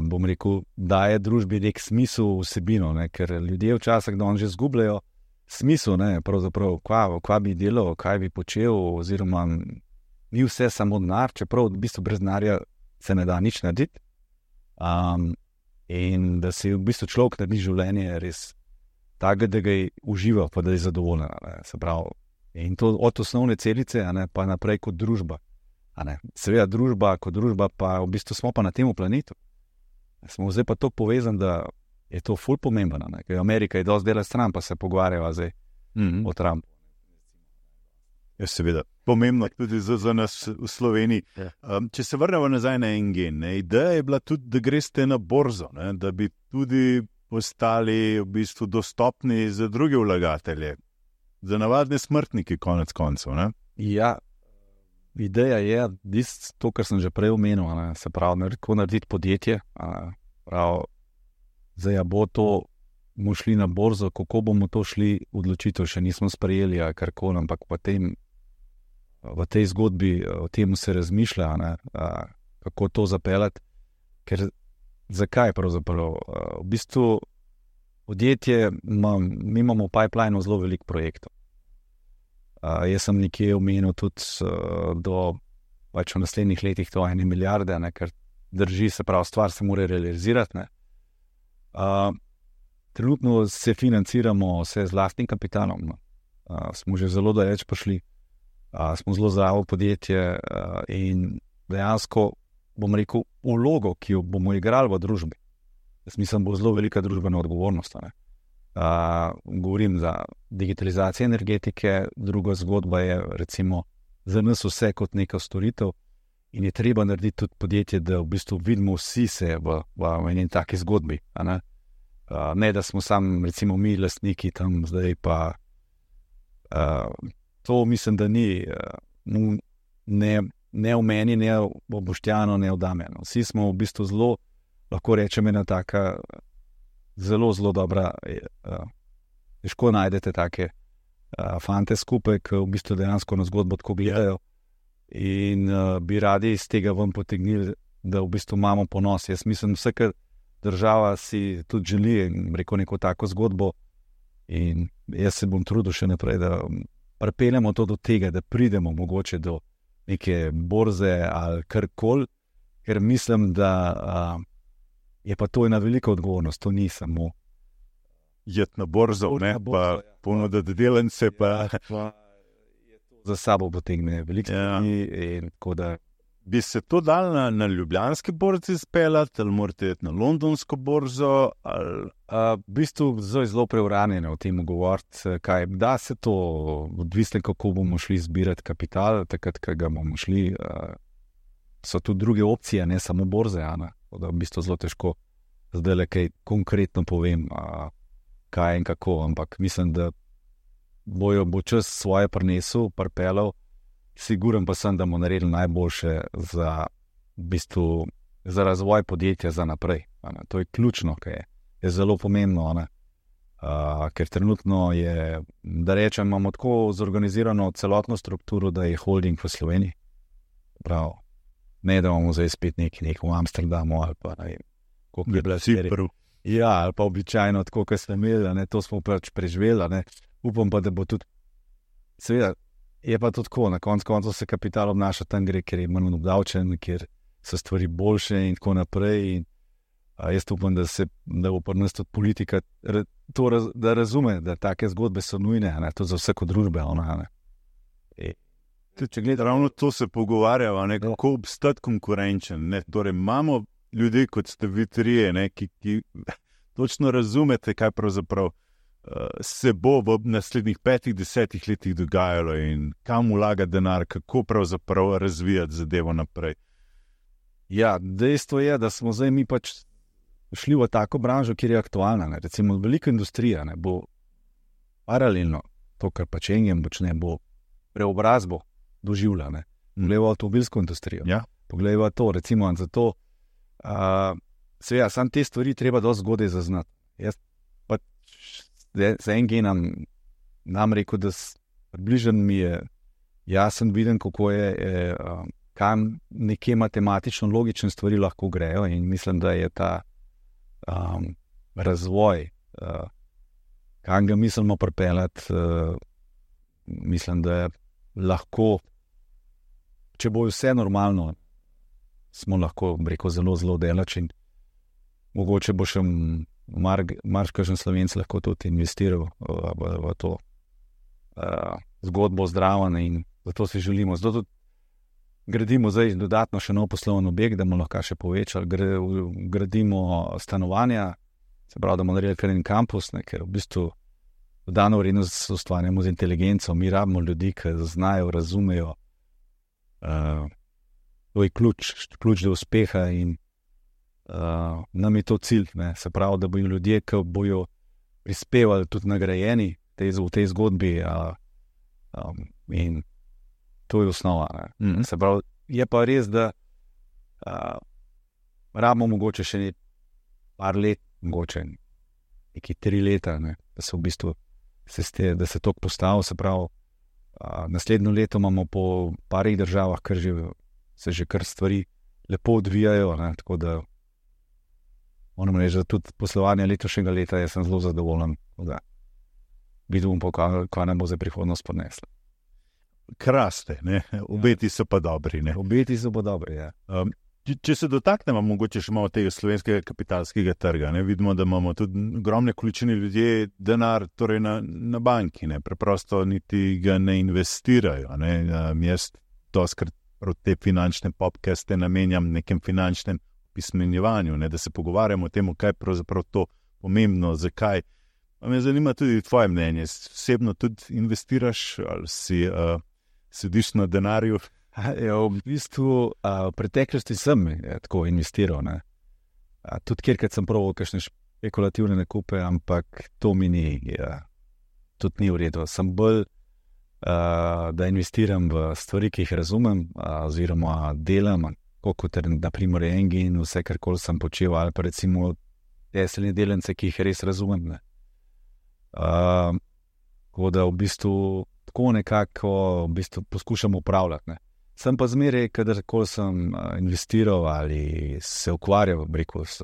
B: bom rekel, daje družbi nek smisel, vsebino, ker ljudje včasih že zgubljajo smisel, pravzaprav, kva bi delal, kaj bi počel, oziroma ni vse samo denar, čeprav v bistvu brez denarja se ne da nič narediti. In da se v bistvu človek naredi življenje res tako, da ga uživa, pa da je zadovoljen. Se pravi, in to od osnovne celice, pa naprej kot družba. Seveda družba, kot družba, pa v bistvu smo pa na tem planetu. Smo zdaj pa to povezani, da je to ful pomembno. Amerika je dosti dela stran, pa se pogovarjava zdaj o Trumpu.
A: Ja, seveda. Pomembno tudi za nas v Sloveniji. Če se vrnemo nazaj na en gen, ideja je bila tudi, da greste na borzo, da bi tudi postali v bistvu dostopni za druge vlagatelje, za navadne smrtnike, konec koncev.
B: Ja, ideja je, to, kar sem že prej omenil, se pravi, kako narediti podjetje. Zdaj bo to, bomo šli na borzo, kako bomo to šli, odločitev še nismo sprejeli, karkoli, ampak v tej zgodbi o tem se razmišlja, kako to zapeljati. Ker zakaj pravzaprav? V bistvu podjetje, mi imamo v pipelineu zelo veliko projektov. Jaz sem nekje omenil tudi pač v naslednjih letih to 1 milijarde, ker drži, se pravi, stvar se mora realizirati. Trenutno se financiramo vse z lastnim kapitalom. Smo že zelo daleč prišli. Smo zelo zdravo podjetje in dejansko, bom rekel, vlogo, ki jo bomo igrali v družbi. Jaz mislim, bo zelo velika družbena odgovornost. Govorim za digitalizacijo energetike, druga zgodba je recimo za nas vse kot neka storitev in je treba narediti tudi podjetje, da v bistvu vidimo vsi se v eni taki zgodbi. Ne, da smo sam recimo mi lastniki tam zdaj pa to mislim, da ni ne v meni, ne v Boštjanu, ne v Damjanu. Vsi smo v bistvu zelo, lahko rečem, ena taka zelo, zelo dobra, težko najdete take fante skupaj, ki v bistvu dejansko na zgodbo tako gledajo in bi radi iz tega ven potegnili, da v bistvu imamo ponos. Jaz mislim, vsaka država si tudi želi, rekel, neko tako zgodbo in jaz se bom trudil še naprej, da pripeljemo to do tega, da pridemo mogoče do neke borze ali karkoli, ker mislim, da je pa to ena velika odgovornost, to ni samo
A: jet na borzo, ne, pa ponuditi delence, pa
B: za sabo potegne veliko stvari in tako da.
A: Bi se to dal na ljubljanski borzi speljati, ali morate iti na londonsko borzo?
B: V bistvu zelo preuranjeno o tem govoriti, kaj da se to, odvisno kako bomo šli zbirati kapital, takrat, ko ga bomo šli, so tudi druge opcije, ne samo borze, da v bistvu zelo težko zdaj le kaj konkretno povem, kaj in kako, ampak mislim, da bo čas svoje prinesel, pripeljal. Siguren pa sem, da bomo naredili najboljše za, v bistvu, za razvoj podjetja za naprej. To je ključno, kaj je zelo pomembno, ker trenutno je, da rečem, imamo tako zorganizirano celotno strukturo, da je holding v Sloveniji. Prav, ne da imamo zdaj spet nekaj v Amsterdamu ali pa ne vem, koliko je bila serija. Ja, ali pa običajno tako, kot ste imeli, to smo pač preživeli, upam pa, da bo tudi, seveda, je pa to tako, na koncu se kapital obnaša tam gre, ker je manj obdavčen, ker so stvari boljše in tako naprej. In, jaz upam, da bo pri nas tudi politika da razume, da take zgodbe so nujne, to za vsako družbe.
A: Če gledate, ravno to se pogovarjava, kako obstati konkurenčen. Torej, imamo ljudi, kot ste vi trije, ki točno razumete, kaj pravzaprav se bo v naslednjih 5-10 letih dogajalo in kam vlagati denar, kako pravzaprav razvijati zadevo naprej.
B: Ja, dejstvo je, da smo zdaj mi pač šli v tako branžo, kjer je aktualna. Recimo velika industrija bo paralelno to, kar pač Engem počne, bo preobrazbo doživljala. Poglejva avtomobilsko industrijo.
A: Ja.
B: Poglejva to, recimo, zato seveda, sam te stvari treba dosti zgodaj zaznati. Jaz pač za Engem nam rekel, da približen mi je jasen viden, kako je, kam nekje matematično logične stvari lahko grejo in mislim, da je ta razvoj, kam ga mislimo pripeljati, mislim, da je lahko, če bo vse normalno, smo lahko, rekel, zelo, zelo delač in mogoče bo še marsikšen Slovenec lahko tudi investiral v to zgodbo zdravljenja in zato si želimo. Zato tudi gradimo zdaj dodatno še nov poslovni objekt, da bomo lahko še povečali, gradimo stanovanja, se pravi, da bomo naredili kar en kampus, ker v bistvu dodano vrednost ustvarjamo z inteligenco, mi rabimo ljudi, ki znajo, razumejo, to je ključ do uspeha in nam je to cilj, se pravi, da bojo ljudje, ki bojo prispevali tudi nagrajeni v tej zgodbi in to je osnova. Se pravi, je pa res, da rabimo mogoče še par let, mogoče neki 3 leta, da se v bistvu da se to postavi, se pravi, naslednjo leto imamo po parih državah, kar se že kar stvari lepo odvijajo, tako da moram reči, da tudi poslovanje letošnjega leta jaz sem zelo zadovoljen, da vidim pa, kaj nam bo za prihodnost ponesla.
A: Kraste, obeti so pa dobri.
B: Obeti so pa dobri, ja.
A: Če se dotaknemo mogoče še malo tega slovenskega kapitalskega trga, vidimo, da imamo tudi ogromne količine ljudje denar torej na banki, preprosto niti ga ne investirajo. Jaz doskrat te finančne podcaste namenjam nekem finančnem pismenjevanju, da se pogovarjamo o tem, kaj je pravzaprav to pomembno, zakaj Me zanima tudi tvoje mnenje. Osebno tudi investiraš ali si sediš na denarju?
B: Ja, v bistvu v preteklosti sem tako investiral. Tudi kjerkrat sem proval kakšne špekulativne nakupe, ampak to mi ni, tudi ni v redu. Sem bolj, da investiram v stvari, ki jih razumem, oziroma delam, kot naprimer Engine, vse karkoli sem počel, ali pa recimo teseljne delence, ki jih res razumem. Tako da v bistvu tako nekako v bistvu poskušam upravljati. Sem pa zmeraj, kadarkoli sem investiral ali se ukvarjal, s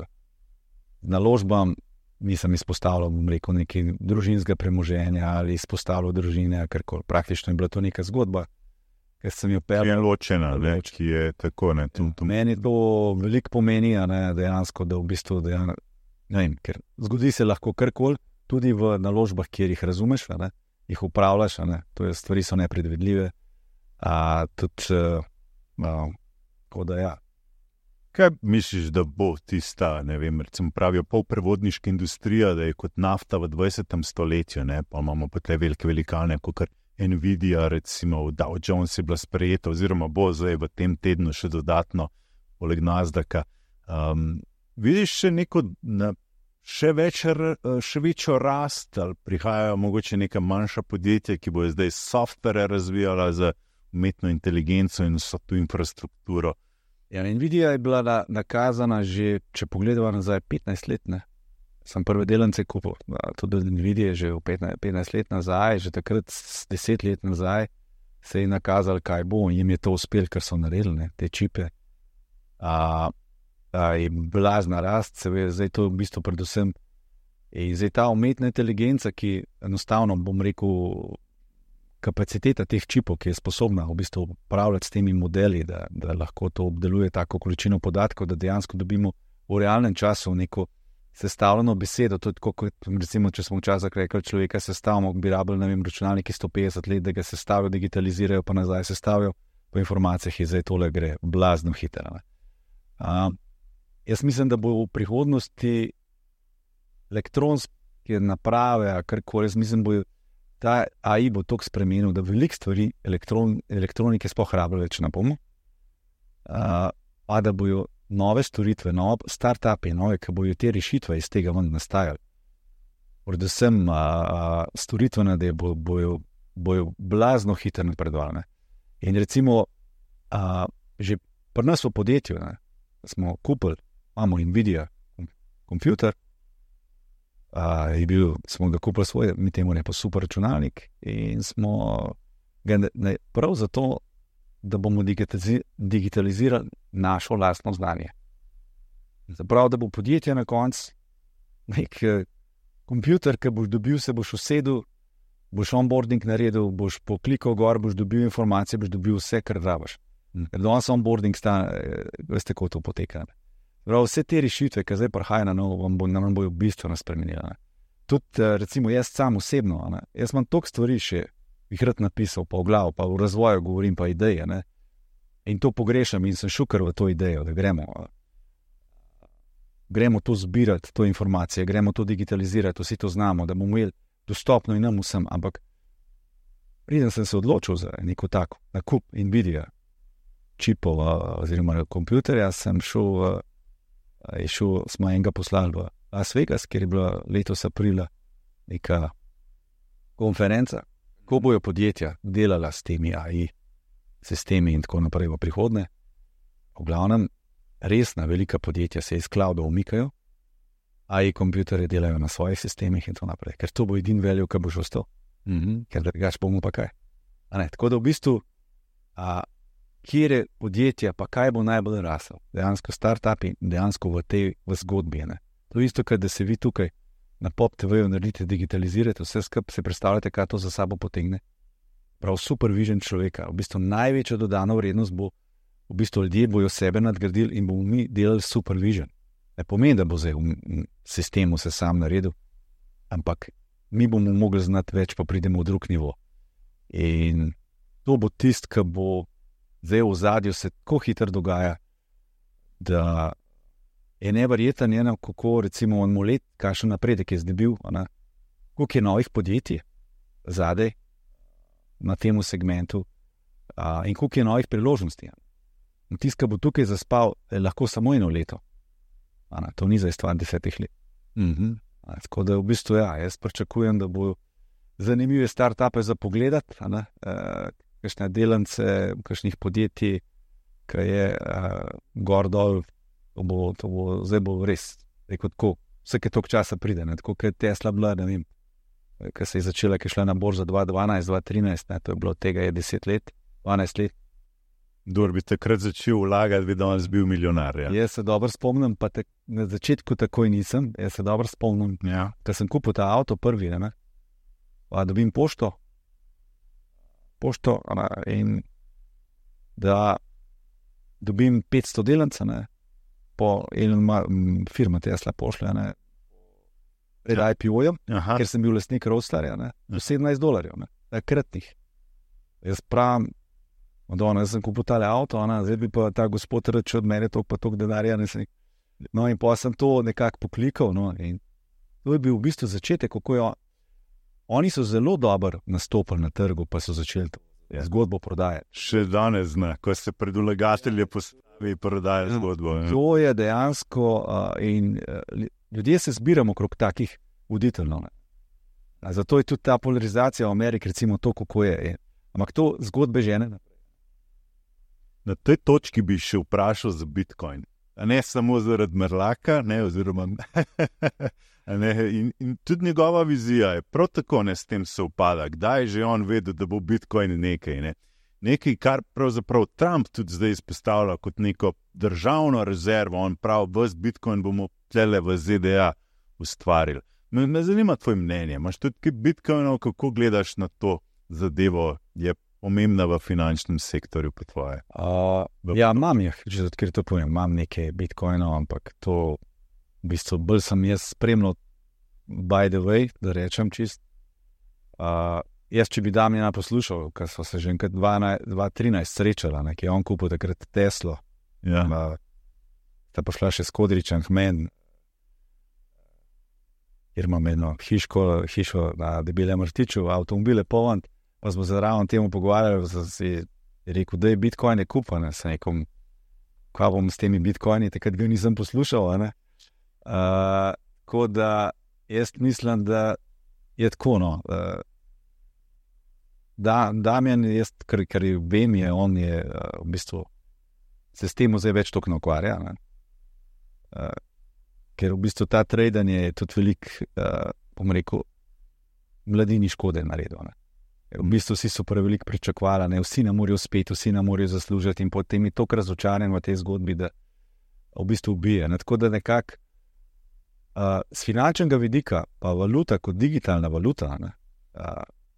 B: naložbam, nisem izpostavljal, nekaj družinskega premoženja ali izpostavljal družine, karkoli. Praktično je bila to neka zgodba, ker sem jo pel.
A: Je ločena, ki je tako, ne.
B: Meni to veliko pomeni, dejansko, da v bistvu, ne vem, ker zgodi se lahko karkoli, tudi v naložbah, kjer jih razumeš, jih upravljaš, to je, stvari so nepredvidljive. Tudi, tako da ja.
A: Kaj misliš, da bo tista, ne vem, recimo pravijo polprevodniška industrija, da je kot nafta v 20. stoletju, pa imamo pa te velike velikane, kot Nvidia, recimo v Dow Jones je bila sprejeta, oziroma bo zdaj v tem tednu še dodatno, poleg Nasdaka. Vidiš še neko, še večjo rast, ali prihajajo mogoče neka manjša podjetja, ki bojo zdaj software razvijala za umetno inteligenco in vso tu infrastrukturo?
B: Ja, Nvidia je bila nakazana že, če pogledava nazaj, 15 let, Sem prve delence kupil, tudi Nvidia že v 15 let nazaj, že takrat 10 let nazaj se je nakazalo, kaj bo, in jim je to uspelo, ker so naredili, te čipe. Je blazna rast, seveda, zdaj to v bistvu predvsem. In zdaj ta umetna inteligenca, ki enostavno, bom rekel, kapaciteta teh čipov, ki je sposobna v bistvu upravljati s temi modeli, da lahko to obdeluje tako količino podatkov, da dejansko dobimo v realnem času neko sestavljeno besedo. To je tako, kot recimo, če smo včasih rekli, človeka sestavimo, bi rabili, ne vem, računalniki 150 let, da ga sestavijo, digitalizirajo, pa nazaj sestavijo, po informacijah je zdaj tole gre blazno hitro. Jaz mislim, da bo v prihodnosti elektronske naprave, karkoli, jaz mislim, bo ta AI bo toliko spremenil, da veliko stvari elektronike sploh rabili več ne bomo, pa da bojo nove storitve, start-upi, ki bojo te rešitve iz tega ven nastajali. Predvsem storitvene, da bojo blazno hitro napredovali. In recimo, že pri nas v podjetju smo kupili, imamo Nvidia kompjuter, smo ga kupili svoj, mi temu ne pa super računalnik, in smo ga prav zato, da bomo digitalizirali našo lastno znanje. Zaprav, da bo podjetje na koncu nek kompjuter, ki boš dobil, se boš usedel, boš onboarding naredil, boš poklikal gor, boš dobil informacije, boš dobil vse, kar rabiš. Ker danes onboarding veste, kako to poteka. Vse te rešitve, ki zdaj prihajajo na novo, nam bojo bistveno spremenile. Tudi, recimo, jaz sam osebno, jaz imam toliko stvari še, jih rad napisal, pa v glavu, pa v razvoju govorim, pa ideje, in to pogrešam in sem šukar v to idejo, da gremo to zbirati, to informacije, gremo to digitalizirati, vsi to znamo, da bomo imeli dostopno in nam vsem, ampak preden sem se odločil za neko tako nakup Nvidia čipov oziroma kompjuterja, sem šel, smo enega poslali v Las Vegas, kjer je bila letos aprila neka konferenca, ko bojo podjetja delala s temi AI sistemi in tako naprej v prihodnje. V glavnem, resna velika podjetja se iz clouda umikajo, AI kompjuterje delajo na svojih sistemih in tako naprej, ker to bo edin value, ki bo že ostal. Ker drugače bomo pa kaj. Tako da v bistvu, kjer je podjetja, pa kaj bo najbolj rasel, dejansko start-upi, dejansko v zgodbi. To je isto, kad da se vi tukaj na Pop TV-ju naredite, digitalizirate vse skupaj, se predstavljate, kaj to za sabo potegne. Prav supervision človeka, v bistvu največja dodana vrednost bo, v bistvu ljudje bojo sebe nadgradili in bomo mi delali supervision. Ne pomeni, da bo zdaj v sistemu se sam naredil, ampak mi bomo mogli znati več, pa pridemo v drug nivo. In to bo tist, ki bo zdaj v zadju se tako hitro dogaja, da je neverjeten, kako recimo on let, kakšen napredek je zdaj bil, koliko je novih podjetij zadaj na tem segmentu in koliko je novih priložnosti. In tisti, ki bo tukaj zaspal, je lahko samo 1 leto. To ni za stvar 10 let. Tako da v bistvu, jaz pričakujem, da bo zanimive start-upe za pogledati, kakšne delance, kakšnih podjetij, ki je gor dol, zdaj bo res, tako, vsake toliko časa pride, tako kot je Tesla bila, ne vem, ki se je začela, ki je šla na borzo 2012, 2013, to je bilo tega je 10 let, 12 let.
A: Kdor bi takrat začel vlagati, bi danes bil milijonar. Ja.
B: Jaz se dobro spomnim, pa na začetku takoj nisem, jaz se dobro spomnim, da sem kupil ta avto prvi, dobim pošto in da dobim 500 delancev, po firma Tesla pošlje, pred IPO-jem, ker sem bil lastnik Roadsterja, $17, takratnih. Jaz pravim, jaz sem kupil tale avto, zdaj bi pa ta gospod reče od mene toliko denarja. In pa sem to nekako poklikal. In to je bil v bistvu začetek, kako je. Oni so zelo dobro nastopili na trgu, pa so začeli zgodbo prodajati.
A: Še danes zna, ko se pred vlagatelje postavi prodaja zgodbo.
B: To je dejansko in ljudje se zbiramo okrog takih voditeljev. Zato je tudi ta polarizacija v Ameriki, recimo to, kako je. Ampak to zgodbe žene naprej.
A: Na tej točki bi še vprašal za Bitcoin. Ne samo zaradi Merlaka, oziroma in tudi njegova vizija je prav tako s tem se upada. Kdaj je že on vedel, da bo Bitcoin nekaj? Nekaj, kar pravzaprav Trump tudi zdaj izpostavlja kot neko državno rezervo. On pravi, ves Bitcoin bomo tlele v ZDA ustvarili. Me zanima tvoje mnenje. Imaš tudi kaj Bitcoinov, kako gledaš na to zadevo? Je pomembna v finančnem sektorju po tvoje?
B: Imam jih, če odkrito povem, imam nekaj Bitcoinov, ampak to v bistvu bolj sem jaz spremljal by the way, da rečem čist. Jaz, če bi Damjana poslušal, ker so se že enkrat 2013 srečala, ki je on kupil takrat Teslo, ta pa šla še s Kodričem k meni, kjer imam eno hišo na Debelem Rtiču, avtomobile poln, pa smo zraven temu pogovarjali, da si rekel, da je Bitcoin kupan, sem rekel, kaj bom s temi Bitcoini, takrat ga nisem poslušal, tako da jaz mislim, da je tako, Damjan, kar vem, on je v bistvu se s tem zdaj več toliko ne ukvarja, ker v bistvu ta tradanje je tudi velik, bom rekel, mladini škode naredil. V bistvu vsi so preveliko pričakovali, vsi ne morejo uspeti, vsi ne morejo zaslužiti in potem je toliko razočaran v tej zgodbi, da v bistvu ubije. Tako da nekako z finančnega vidika, pa valuta kot digitalna valuta,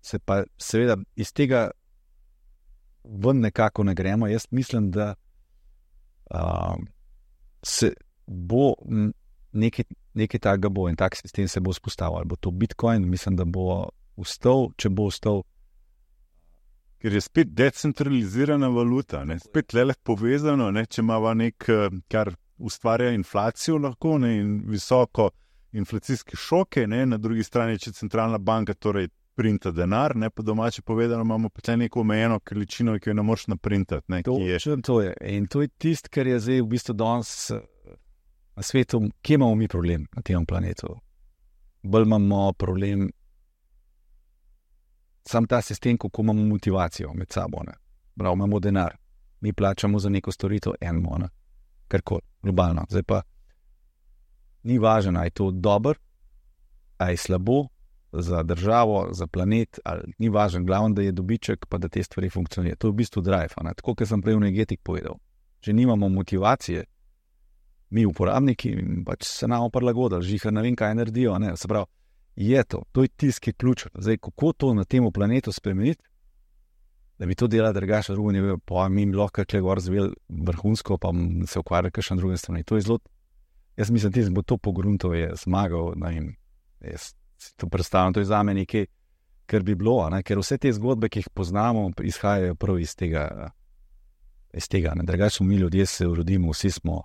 B: se pa seveda iz tega ven nekako ne gremo. Jaz mislim, da se bo nekaj takega bo in tak sistem se bo vzpostavil. Ali bo to Bitcoin, mislim, da bo ustal, če bo ustal.
A: Ker je spet decentralizirana valuta, spet le povezano, če imava kar ustvarja inflacijo lahko in visoko inflacijske šoke, na drugi strani, če centralna banka torej printa denar, po domače povedano, imamo pa neko omejeno količino, ki jo ne moreš naprintati.
B: To je. In to je tisto, kar je zdaj v bistvu danes na svetu, kje imamo mi problem na tem planetu. Bolj imamo problem sam ta sistem, kako imamo motivacijo med sabo. Prav, imamo denar, mi plačamo za neko storitev enmo, karkoli, globalno. Zdaj pa ni važno, ali je to dobro, ali je slabo za državo, za planet, ali ni važno, glavno, da je dobiček, pa da te stvari funkcionirajo. To je v bistvu drive. Tako, kot sem prej v energetik povedal. Če nimamo motivacije, mi uporabniki, pač se nam prilagodili, žihar ne vem, kaj naredijo. Se pravi, je to je tisti ključ. Zdaj, kako to na tem planetu spremeniti, da bi to delali drugače, drugo ne vem, pa mi lahko kle gor zvel vrhunsko, pa se ukvarja kakšen druge strani. To je zelo, jaz mislim, da bo to pogruntov je zmagal, jaz si to predstavljam, to je zame nekaj, kar bi bilo, ker vse te zgodbe, ki jih poznamo, izhajajo prav iz tega. Drugače mi ljudje se rodimo, vsi smo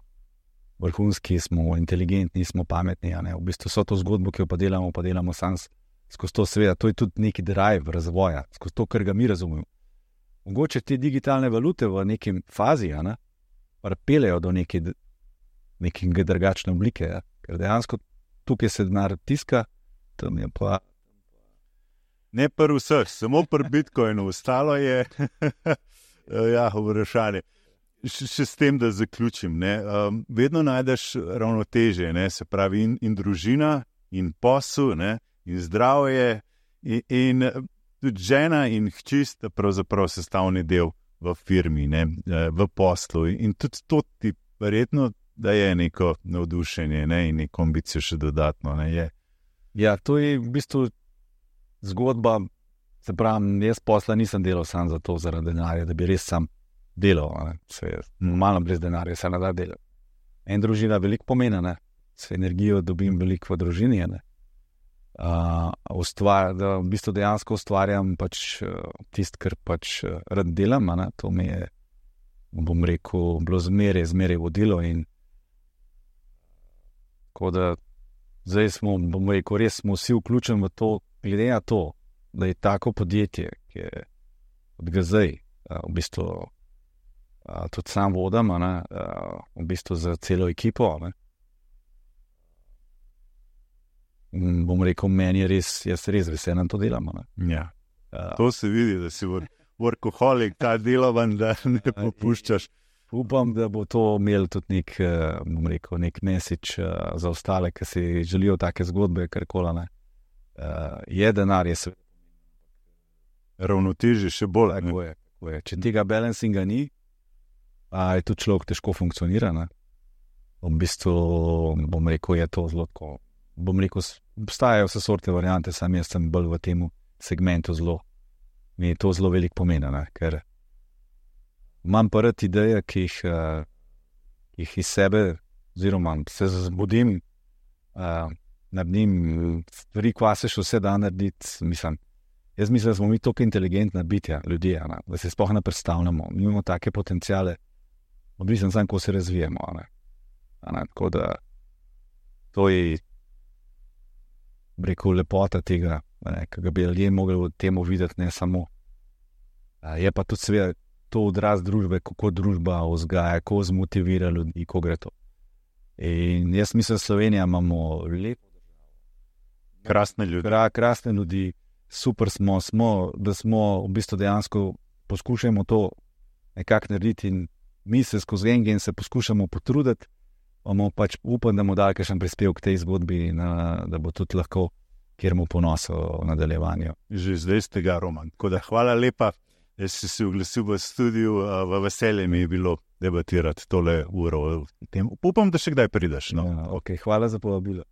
B: vrhunski, smo inteligentni, smo pametni. V bistvu so to zgodbo, ki jo pa delamo skozi to seveda, to je tudi neki drive razvoja, skozi to, kar ga mi razumemo. Mogoče te digitalne valute v nekem fazi, ne, pripeljejo do neke drugačne oblike, ja. Ker dejansko tukaj se denar tiska, tam je pa...
A: Ne pri vseh, samo pri Bitcoinu, ostalo je ja, vprašanje. Še s tem, da zaključim. Ne? Vedno najdeš ravnotežje, ne? Se pravi in družina, in posel, ne? In zdravje, in tudi žena in hči sta pravzaprav sestavni del v firmi, ne? V poslu. In tudi to ti verjetno daje neko navdušenje, ne? In neko ambicijo še dodatno. Ne? Je.
B: Ja, to je v bistvu zgodba, se pravi, jaz posla nisem delal sam za to, zaradi denarja, da bi res sam delal, normalno brez denarja se ne da delati. En družina veliko pomeni, ne? S energijo dobim veliko v družini, ne? Da v bistvu dejansko ustvarjam pač tisto, kar pač rad delam, ne? To mi je, bom rekel, bilo zmeraj vodilo in tako da zdaj smo, bom rekel, res smo vsi vključeni v to, glede na to, da je tako podjetje, ki je od zdaj, v bistvu tudi sam vodam, v bistvu za celo ekipo. Ne. Bom rekel, meni je res, jaz res veselen to delam.
A: Ja. To se vidi, da si workoholik, ta delovan, da ne popuščaš.
B: Upam, da bo to imel tudi nek, bom rekel, nek message za ostale, ki si želijo take zgodbe, karkoli, ne. Je denar, je svet.
A: Ravnotežje še bolj.
B: Tako je. Če tega balancinga ni, je tudi človek težko funkcionira. Ne? V bistvu, bom rekel, je to zelo tako. Bom rekel, obstajajo vse sorte variante, sam jaz sem bolj v tem segmentu zelo. Mi je to zelo veliko pomeni, ne? Ker imam pa rad ideje, ki jih iz sebe, oziroma se zbudim, naredim stvari, kva se še vse da narediti, Jaz mislim, da smo mi toliko inteligentna bitja, ljudje, ne? Da se sploh ne predstavljamo. Mi imamo take potencijale, odvisno samo, ko se razvijemo. Ne? Tako da to je, rekel, lepota tega, ki ga bi ljudje mogli v temu videti, ne samo. Je pa tudi seveda to odraz družbe, kako družba vzgaja, kako zmotivira ljudi, ko gre to. In jaz mislim, Slovenija imamo lepo državo. Krasne ljudi. Super smo, da smo v bistvu dejansko poskušamo to nekako narediti in mi se skozi en se poskušamo potruditi, bomo pač upam, da bomo dali kakšen prispevek k tej zgodbi, da bo tudi lahko kjer mu ponosil v nadaljevanju.
A: Že zdaj ste ga, Roman. Tako da hvala lepa, da si se oglasil v studiu, v veselje mi je bilo debatirati tole uro. Upam, da še kdaj prideš. No?
B: Ja, okay, hvala za povabilo.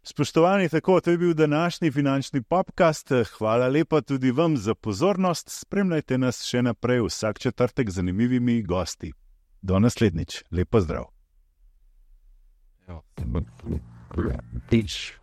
A: Spoštovani, tako, to je bil današnji finančni podcast. Hvala lepa tudi vam za pozornost. Spremljajte nas še naprej vsak četrtek z zanimivimi gosti. Do naslednjič. Lep pozdrav.
C: Teach.